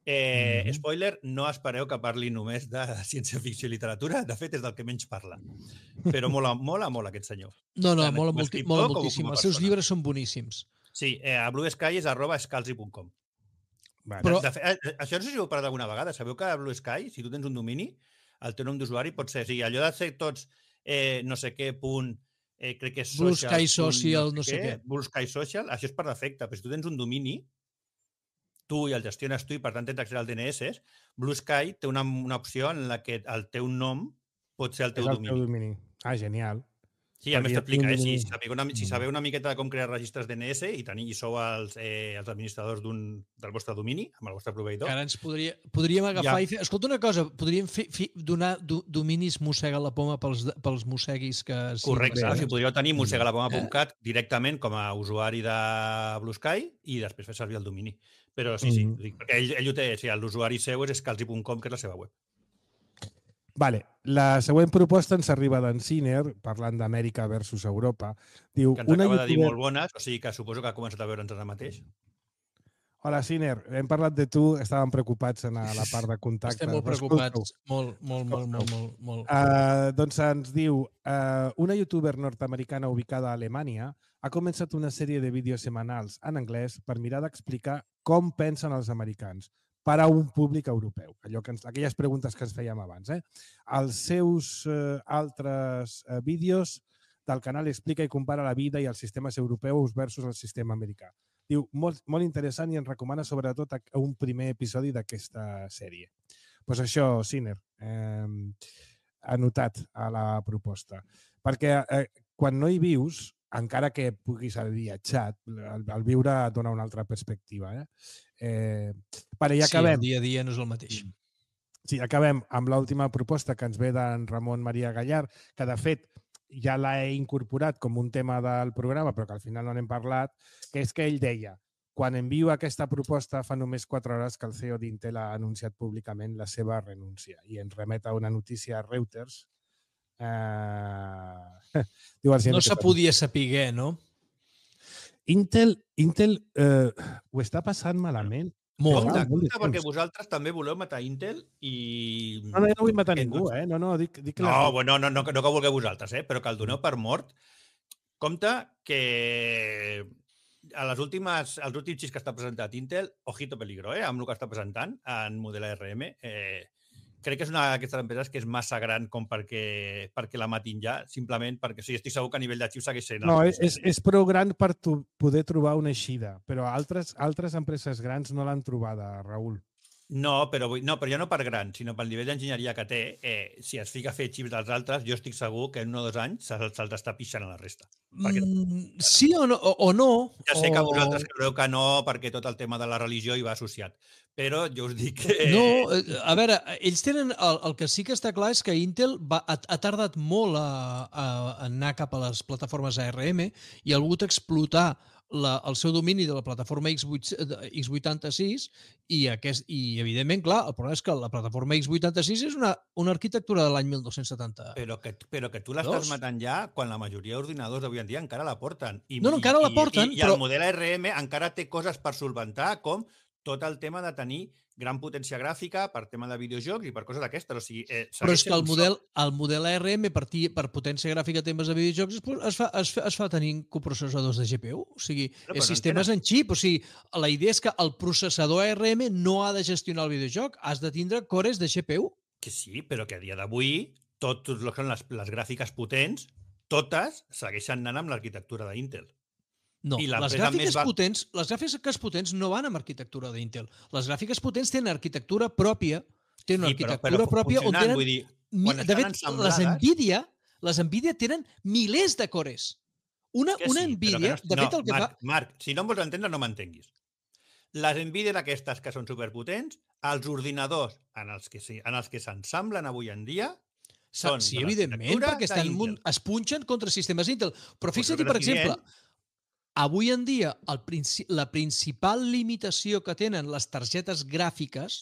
Eh, Mhm. Spoiler, no espereu que parli només de ciència-ficció i literatura, de fet és del que menys parla. Però mola, mola, mola aquest senyor. No, no, Tant mola, com a molti, escriptor mola com a moltíssim. Els persona. seus llibres són boníssims. Sí, eh, a Blue Sky és arroba scalzi punt com. Vale. Però- De, de, fet, eh, això no sé si ho heu parlat alguna vegada. Sabeu que a Blue Sky, si tu tens un domini, el teu nom d'usuari pot ser... O sigui, allò de ser tots eh, no sé què punt, eh, crec que és Blue social, Sky punt Social, no sé què. Blue Sky Social, això és per defecte. Però si tu tens un domini, tu i el gestiones tu i per tant tens accés al D N S, Blue Sky té una, una opció en la que el teu nom pot ser el És teu el domini. teu domini. Ah, genial. Sí, a més Perquè t'explica, un eh? Si domini- sabeu, una, si sabeu una miqueta de com crear registres D N S i, teniu, i sou els, eh, els administradors d'un del vostre domini, amb el vostre proveïdor, Que ara ens podria, podríem agafar Ja. i fer... Escolta una cosa, podríem fer, fer, donar do, dominis mossega la poma pels, pels mosseguis que... siguin correcte, basats. o sigui, podríeu tenir mossegalapoma punt cat directament com a usuari de Blue Sky i després fer servir el domini. Però sí, sí, Mhm. dic, perquè ell, ell ho té, o sigui, l'usuari seu és scalzi punt com, que és la seva web. Vale. La següent proposta ens arriba d'en Siner, parlant d'Amèrica versus Europa. Diu, Que ens una acaba de dir youtuber... molt bones, o sigui que suposo que ha començat a veure'ns ara mateix. Hola, Siner. Hem parlat de tu, estàvem preocupats en la part de contacte. Estem molt Però preocupats. escolta-ho. Molt, molt, molt, molt, molt, molt. Uh, doncs ens diu, uh, una youtuber nord-americana ubicada a Alemanya ha començat una sèrie de vídeos setmanals en anglès per mirar d'explicar com pensen els americans per a un públic europeu. Allò que ens, aquelles preguntes que ens fèiem abans. Eh? Els seus uh, altres uh, vídeos del canal explica i compara la vida i els sistemes europeus versus el sistema americà. Diu, molt, molt interessant i ens recomana sobretot a- un primer episodi d'aquesta sèrie. Doncs pues això, Siner, eh, anotat a la proposta. Perquè eh, quan no hi vius, encara que puguis haver viatjat, el, el viure et dona una altra perspectiva. Eh? Eh, vale, i Sí, el acabem. dia a dia no és el mateix. Sí, acabem amb l'última proposta que ens ve d'en Ramon Maria Gallar, que de fet ja l'he incorporat com un tema del programa, però que al final no n'hem parlat, que és que ell deia, quan envio aquesta proposta fa només quatre hores que el C E O d'Intel ha anunciat públicament la seva renúncia i ens remet a una notícia a Reuters. Eh... Diu el No se podia saber, no? Intel, Intel eh, ho està passant malament. Molt. Compte, Ah, molt de compte, perquè temps. vosaltres també voleu matar Intel i... No, no, jo no vull matar Que ningú, no- eh? No, no, dic, dic que No, la- bueno, no, no, no que vulgueu vosaltres, eh? Però que el doneu per mort. Compte que a les últimes, els últims xips que està presentat Intel, ojito peligro, eh, amb el que està presentant en model A R M, eh, crec que és una d'aquestes empreses que és massa gran com perquè, perquè la matin ja, simplement perquè sí, estic segur que a nivell de xips segueix sent... No, és, és prou gran per tu poder trobar una eixida, però altres, altres empreses grans no l'han trobada, Raül. No, però, no, però ja no per gran, sinó pel nivell d'enginyeria que té, eh, si es fica a fer xips dels altres, jo estic segur que en un o dos anys se'ls se està pixant a la resta. Perquè... Mm, sí o no? O, o no ja sé o... que vosaltres creureu que no, perquè tot el tema de la religió hi va associat, però jo us dic que... No, a veure, ells tenen... El, el que sí que està clar és que Intel va, ha, ha tardat molt a, a anar cap a les plataformes A R M i ha volgut explotar La, el seu domini de la plataforma X vuitanta-sis i, aquest, i evidentment, clar, el problema és que la plataforma X vuitanta-sis és una, una arquitectura de l'any mil dos-cents setanta. Però que, però que tu l'estàs matant ja quan la majoria d'ordinadors d'avui en dia encara la porten. I, no, no, encara i, la porten, i, i però... el model A R M encara té coses per solventar, com tot el tema de tenir gran potència gràfica per tema de videojocs i per coses d'aquestes. O sigui, eh, però és que el model, el model A R M per, per potència gràfica temes de videojocs es fa, es fa, es fa tenint coprocessadors de G P U. O sigui, no, és sistemes no en xip. O sigui, la idea és que el processador A R M no ha de gestionar el videojoc, has de tindre cores de G P U. Que sí, però que a dia d'avui tot el que són les, les gràfiques potents, totes segueixen anant amb l'arquitectura d'Intel. No, les gràfiques, va... potents, les gràfiques potents no van amb arquitectura d'Intel. Les gràfiques potents tenen arquitectura pròpia, tenen una sí, arquitectura però, però pròpia on tenen... Vull dir, de fet, les Nvidia, les Nvidia tenen milers de cores. Una, una sí, Nvidia, no, de fet, no, el que Marc, fa... Marc, si no em vols entendre, no m'entenguis. Les Nvidia d'aquestes que són superpotents, els ordinadors en els que s'ensamblen avui en dia són sí, evidentment, perquè estan, es punxen contra sistemes Intel. Però fixa't, per exemple... Avui en dia, el princi la principal limitació que tenen les targetes gràfiques,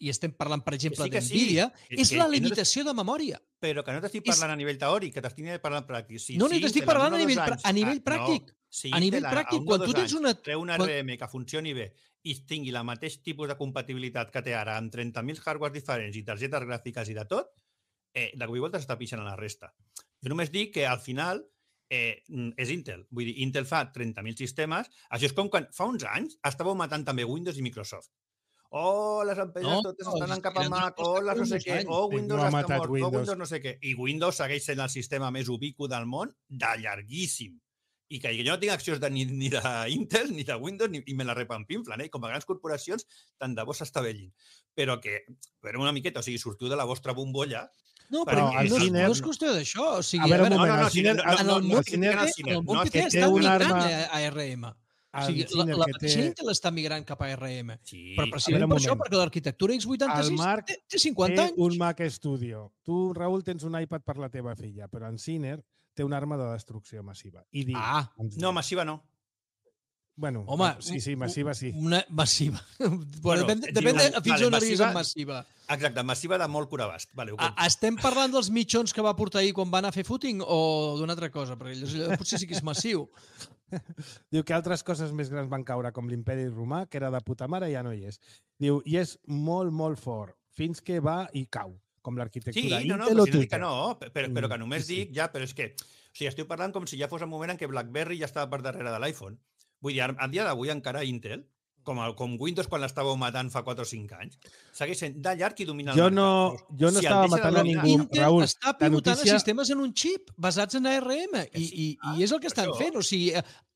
i estem parlant, per exemple, sí d'Nvidia, sí. és, és la limitació no de memòria. Però que no t'estic parlant és... a nivell teòric, que t'estic parlant pràctic. Si, no, no si t'estic parlant a nivell, anys, a nivell pràctic. No, si a nivell pràctic, quan tu tens una... Treu una R M que funcioni bé i tingui el mateix tipus de compatibilitat que té ara amb trenta mil hardware diferents i targetes gràfiques i de tot, eh, de cop i volta s'està pixant a la resta. Jo només dic que al final Eh, és Intel. Vull dir, Intel fa trenta mil sistemes. Això és com quan fa uns anys estàveu matant també Windows i Microsoft. Oh, les empreses no, totes estan anant cap a Mac, oh, les no sé què, oh, Windows no està mort, Windows. oh, Windows no sé què. I Windows segueix sent el sistema més ubicu del món de llarguíssim. I que jo no tinc accions de, ni, ni d'Intel, ni de Windows, ni, i me la repampinflen, eh? Com a grans corporacions, tant de bo s'estavellin. Però que, però una miqueta, o sigui, sortiu de la vostra bombolla. No, però no, no, ciner... no és qüestió d'això. O sigui, a veure, a veure, moment, no, no, el ciner, en el món que té, no, que té està migrant a A R M. O sigui, la, la mateixa Intel està migrant cap a A R M. Sí. Però precisament per això, perquè l'arquitectura X vuitanta-sis té, té cinquanta anys. Té un Mac Studio. Tu, Raül, tens un iPad per la teva filla, però en Ciner té una arma de destrucció massiva. I diu, ah, no, massiva no. Bueno, home, sí, sí, massiva sí. Una massiva. Bueno, depèn, depèn de fins vale, on arribis amb massiva. Exacte, massiva de molt curabast. Vale, a, estem parlant dels mitjons que va portar ahir quan va anar a fer footing o d'una altra cosa? Perquè allò potser sí que és massiu. Diu que altres coses més grans van caure, com l'imperi romà, que era de puta mare, ja no hi és. Diu, i és molt, molt fort, fins que va i cau, com l'arquitectura. Sí, no, no, però si no dic que no, però, però que només dic, ja, però és que, o sigui, estic parlant com si ja fos el moment en què BlackBerry ja estava per darrere de l'iPhone. Vull dir, a dia d'avui encara Intel, com, el, com Windows quan l'estàveu matant fa quatre o cinc anys, segueix sent de llarg i domina el jo mercat. No, jo no si estava matant a ningú, Intel Raül. Està pivotant notícia... a sistemes en un xip basats en A R M i, i, ah, i és el que estan això... fent. O sigui,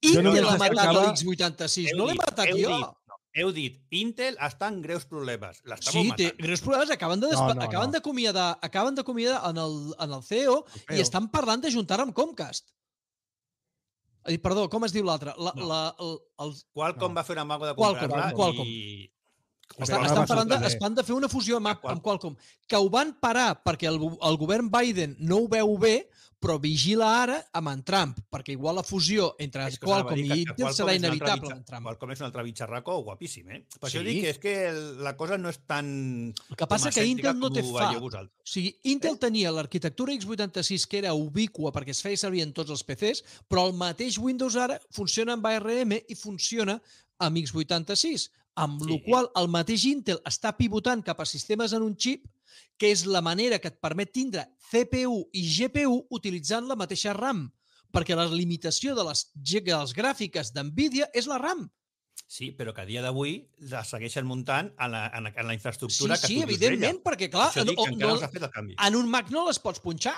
Intel no ha matat acaba... l'X vuitanta-sis, no l'he matat heu jo. Dit, no, heu dit, Intel està en greus problemes. Sí, matant. té greus problemes. Acaben de despa... no, no, acaben no. d'acomiadar acaben d'acomiadar en, el, en el C E O el i estan parlant d'ajuntar amb Comcast. Perdó, com es diu l'altre? La, no. la, el, el... Qualcomm no. va fer una mago de comprar-la Qualcomm. i... Estan, estan parlant de, es van de fer una fusió amb, amb Qualcomm, que ho van parar perquè el, el govern Biden no ho veu bé, però vigila ara amb en Trump, perquè igual la fusió entre Qualcomm i Intel serà inevitable amb Trump. Qualcomm és un altre bitxarraco guapíssim, eh? Per sí. això dic que és que la cosa no és tan... El que passa que Intel no té fa. O sigui, Intel eh? tenia l'arquitectura X vuitanta-sis que era ubicua perquè es feia servir en tots els P Cs, però el mateix Windows ara funciona amb A R M i funciona amb X vuitanta-sis. Amb sí. la qual el mateix Intel està pivotant cap a sistemes en un xip, que és la manera que et permet tindre C P U i G P U utilitzant la mateixa RAM. perquè la limitació de les, de les gràfiques d'NVIDIA és la RAM. Sí, però que a dia d'avui la segueixen muntant en la, en la, en la infraestructura Sí, que sí, tu dius evidentment, d'ella. perquè, clar, Això dic que no, encara no, no s'ha fet el canvi. en un Mac no les pots punxar.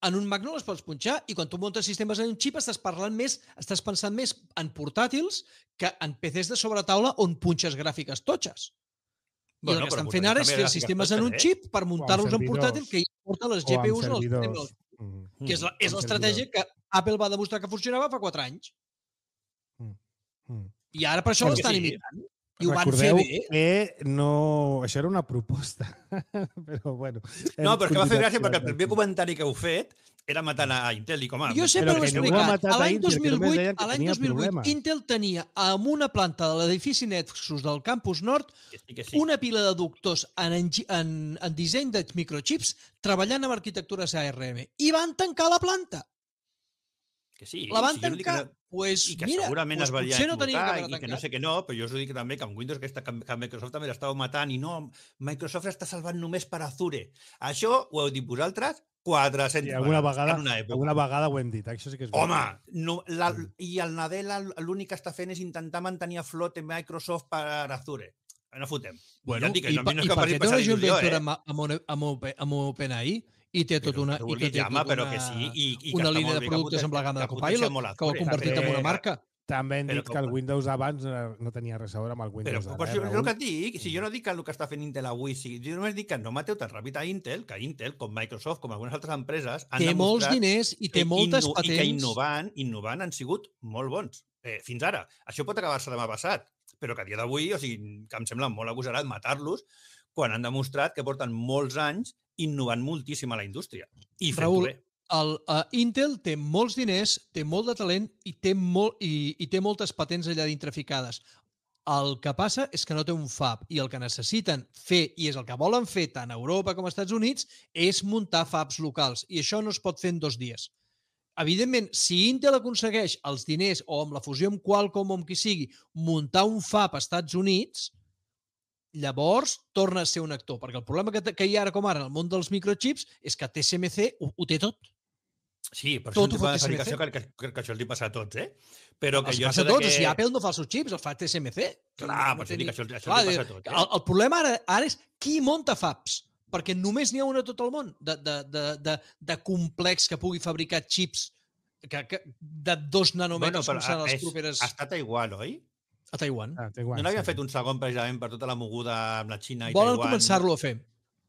En un Mac no les pots punxar i quan tu muntes sistemes en un xip estàs parlant més, estàs pensant més en portàtils que en P Cs de sobretaula on punxes gràfiques totxes. I Bueno, el que però estan fent ara és també fer gràfiques sistemes en un totxes, eh? xip per muntar-los en servidors. portàtil que hi porten les O G amb P Us en el servidors. sistema. Mm. Que és la- és Amb l'estratègia que Apple va demostrar que funcionava fa quatre anys. Mm. I ara per això Perquè l'estan sí. imitant. I ho van fer Recordeu bé. que no... Això era una proposta. Però, bueno... No, però és que va fer hem gràcia perquè el continuat primer comentari que heu fet era matant a Intel i com a... Jo sempre Però ho he que ningú ha explicat. matat A a l'any Intel, dos que mil només vuit, deien que a l'any tenia dos mil vuit problemes. Intel tenia en una planta de l'edifici Nexus del campus nord Que sí, que sí. una pila de doctors en, engi- en, en disseny de microchips treballant amb arquitectures A R M. I van tancar la planta. Que sí, La van sí, jo no dic tancar. que no- Pues, i que mira, segurament pues es valia potser no tenia equivocar que i haver que no tancat. sé què no, però jo us ho dic també que amb Windows aquesta, que, que Microsoft també l'estava matant i no, Microsoft està salvant només per Azure. Això ho heu dit vosaltres quatre-centes Sí, alguna vegades vegada, en una època. alguna vegada ho hem dit, això sí que és Home, veritat. no, la, i el Nadella l'únic que està fent és intentar mantenir a flote Microsoft per Azure. No fotem. Bueno, ja et dic, i, no, pa, no i és que per passi què té passar una joint il·lusió, venture eh? amb, amb, Open- amb, Open- amb OpenAI i té tot una, Però, i vulgui, té home, tot però una, que sí, i, i que una està línia molt de bé que productes poten- amb la gamma de que potencia Copilot molt que ho ha Azure. convertit en També- una marca. També hem Però dit com- que el Windows abans eh, no tenia res a veure amb el Però, Windows però d'ara. si eh, és el Raül? que et dic, si jo no dic que el que està fent Intel avui, sí, jo només dic que no mateu tan ràpid a Intel, que Intel, com Microsoft, com algunes altres empreses, han Té molts demostrat diners i té que moltes inno- i que patents. innovant, innovant han sigut molt bons. Eh, fins ara. Això pot acabar-se demà passat, però que a dia d'avui, o sigui, que em sembla molt agosarat matar-los quan han demostrat que porten molts anys innovant moltíssim a la indústria. I fent-ho Raül, bé. el, uh, Intel té molts diners, té molt de talent i té, molt, i, i té moltes patents allà dintre ficades. El que passa és que no té un fab i el que necessiten fer, i és el que volen fer tant a Europa com als Estats Units, és muntar fabs locals. I això no es pot fer en dos dies. Evidentment, si Intel aconsegueix els diners o amb la fusió amb Qualcomm o amb qui sigui, muntar un fab als Estats Units, llavors torna a ser un actor. Perquè el problema que, te- que hi ha ara com ara en el món dels microchips és que T S M C ho, ho té tot. Sí, però tot és un ho fa tipus de T S M C. fabricació que, que, que, que això els li passa a tots, eh? Però que Els jo passa això a tots. de O que... sigui, Apple no fa els seus xips, els fa T S M C. Clar, No per té això dic ni- que això, això Clar, li passa a tots. el, el problema ara, ara és qui monta fabs, perquè només n'hi ha una a tot el món de, de, de, de, de complex que pugui fabricar xips que, que, de dos nanòmetres però com seran les és, properes està a Taiwan, oi? a Taiwan. Ah, té guany, No n'havien sí. fet un segon precisament per tota la moguda amb la Xina i Volen Taiwan? començar-lo a fer.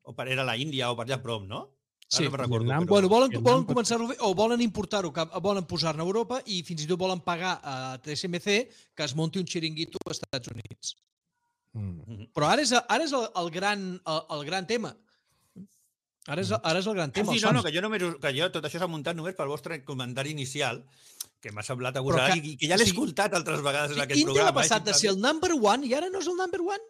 O per, era la Índia o per allà a prop, no? Ara Sí. no me'n recordo, Vietnam, però... Bueno, volen, Vietnam volen pot- començar-ho a fer o volen importar-ho, cap- volen posar-ne a Europa i fins i tot volen pagar a T S M C que es munti un xiringuito als Estats Units. Mm. Mhm. Però ara és, ara és el, el, gran, el, el gran tema. Ara és, ara és el gran Ah, tema. sí, els no, no, fans. que jo, només, que jo tot això s'ha muntat només pel vostre comentari inicial, que m'ha semblat Però agosarat que- i que ja l'he o sigui, escoltat altres vegades en aquest Intel programa. ha passat eh, de ser el number one i ara no és el number one.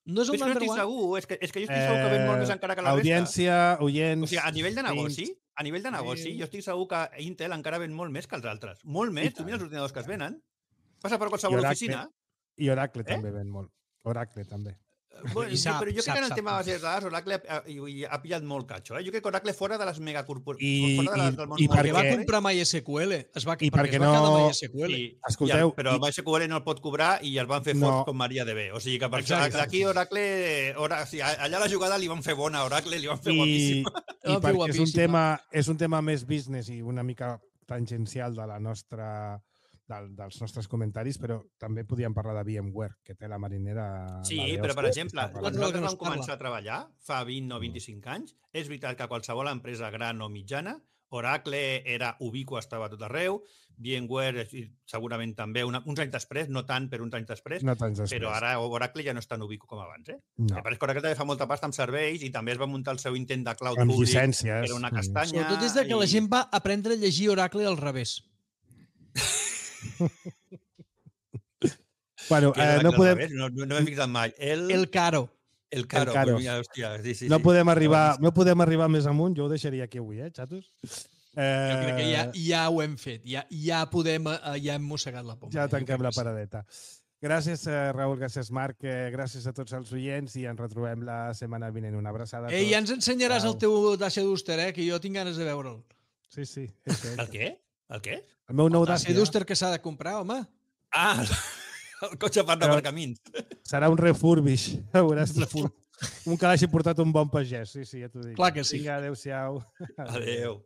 No és Però el és que no number estic one. segur, és que, és que jo estic segur que ven molt més encara que la resta. Audiència, oients... O sigui, a nivell de negoci, veïns, a nivell de negoci, jo estic segur que Intel encara ven molt més que els altres. Molt més, tu mira els ordinadors que es venen. Passa per qualsevol I Oracle. oficina. I Oracle Eh? també ven molt. Oracle també. Bueno, I sap, però jo crec sap, que en el sap. tema de bases de dades Oracle ha, ha, ha pillat molt catxo. Eh? Jo crec que Oracle fora de les megacorporacions, I- fora de les, i- del món i Perquè va perquè- comprar MySQL. Es va, I perquè perquè es va quedar no- MySQL. Sí, Escolteu, i el, però i- MySQL no el pot cobrar i el van fer No. forts com MariaDB. O sigui que per això Exacte. aquí Oracle, Ora, o sigui, allà la jugada li van fer bona a Oracle, li van fer I, guapíssima. i Va fer perquè és un, guapíssima. tema, és un tema més business i una mica tangencial de la nostra del, dels nostres comentaris, però també podíem parlar de VMware, que té la marinera... Sí, la de però per hòstia, exemple, està quan L'altre nosaltres que no es vam començar parla. a treballar fa vint o vint-i-cinc anys, és veritat que qualsevol empresa gran o mitjana, Oracle era ubiqua, estava a tot arreu, VMware eh, segurament també, una, uns anys després, no tant, però uns anys després, No tants després. però ara Oracle ja no és tan ubicu com abans. Eh? No. No. Pareix que Oracle també fa molta pasta amb serveis i també es va muntar el seu intent de cloud Amb públic, llicències. que era una Mm. castanya. Sobretot des de que la i- gent va aprendre a llegir Oracle al revés. Bueno, Que era eh, Oracle no al podem, revés, No, no, no m'he fixat mai. El, El caro. el caro. el caro. Pues mira, hòstia, sí, sí, no sí. podem arribar, no podem arribar més amunt, jo ho deixaria aquí avui, eh, xatos? Eh, Jo crec que ja, ja ho hem fet. Ja, ja podem, eh, ja hem mossegat la poma. Ja Jo tanquem crec la que sí. paradeta. Gràcies, eh, Raül, gràcies, Marc, eh, gràcies a tots els oients i ens retrobem la setmana vinent. Una abraçada a tots. Ei, ja ens ensenyaràs Au. el teu Dacia Duster, eh? Que jo tinc ganes de veure'l. Sí, sí. És ell. El què? El què? El meu nou El Dacia Dacia. Duster que s'ha de comprar, home. Ah, el cotxe per Però- aparcaments. Serà un refurbish. Veuràs. Un que l'hagi portat un bon pagès. Sí, sí, ja t'ho dic. Clar que sí. Vinga, adéu-siau. Adéu.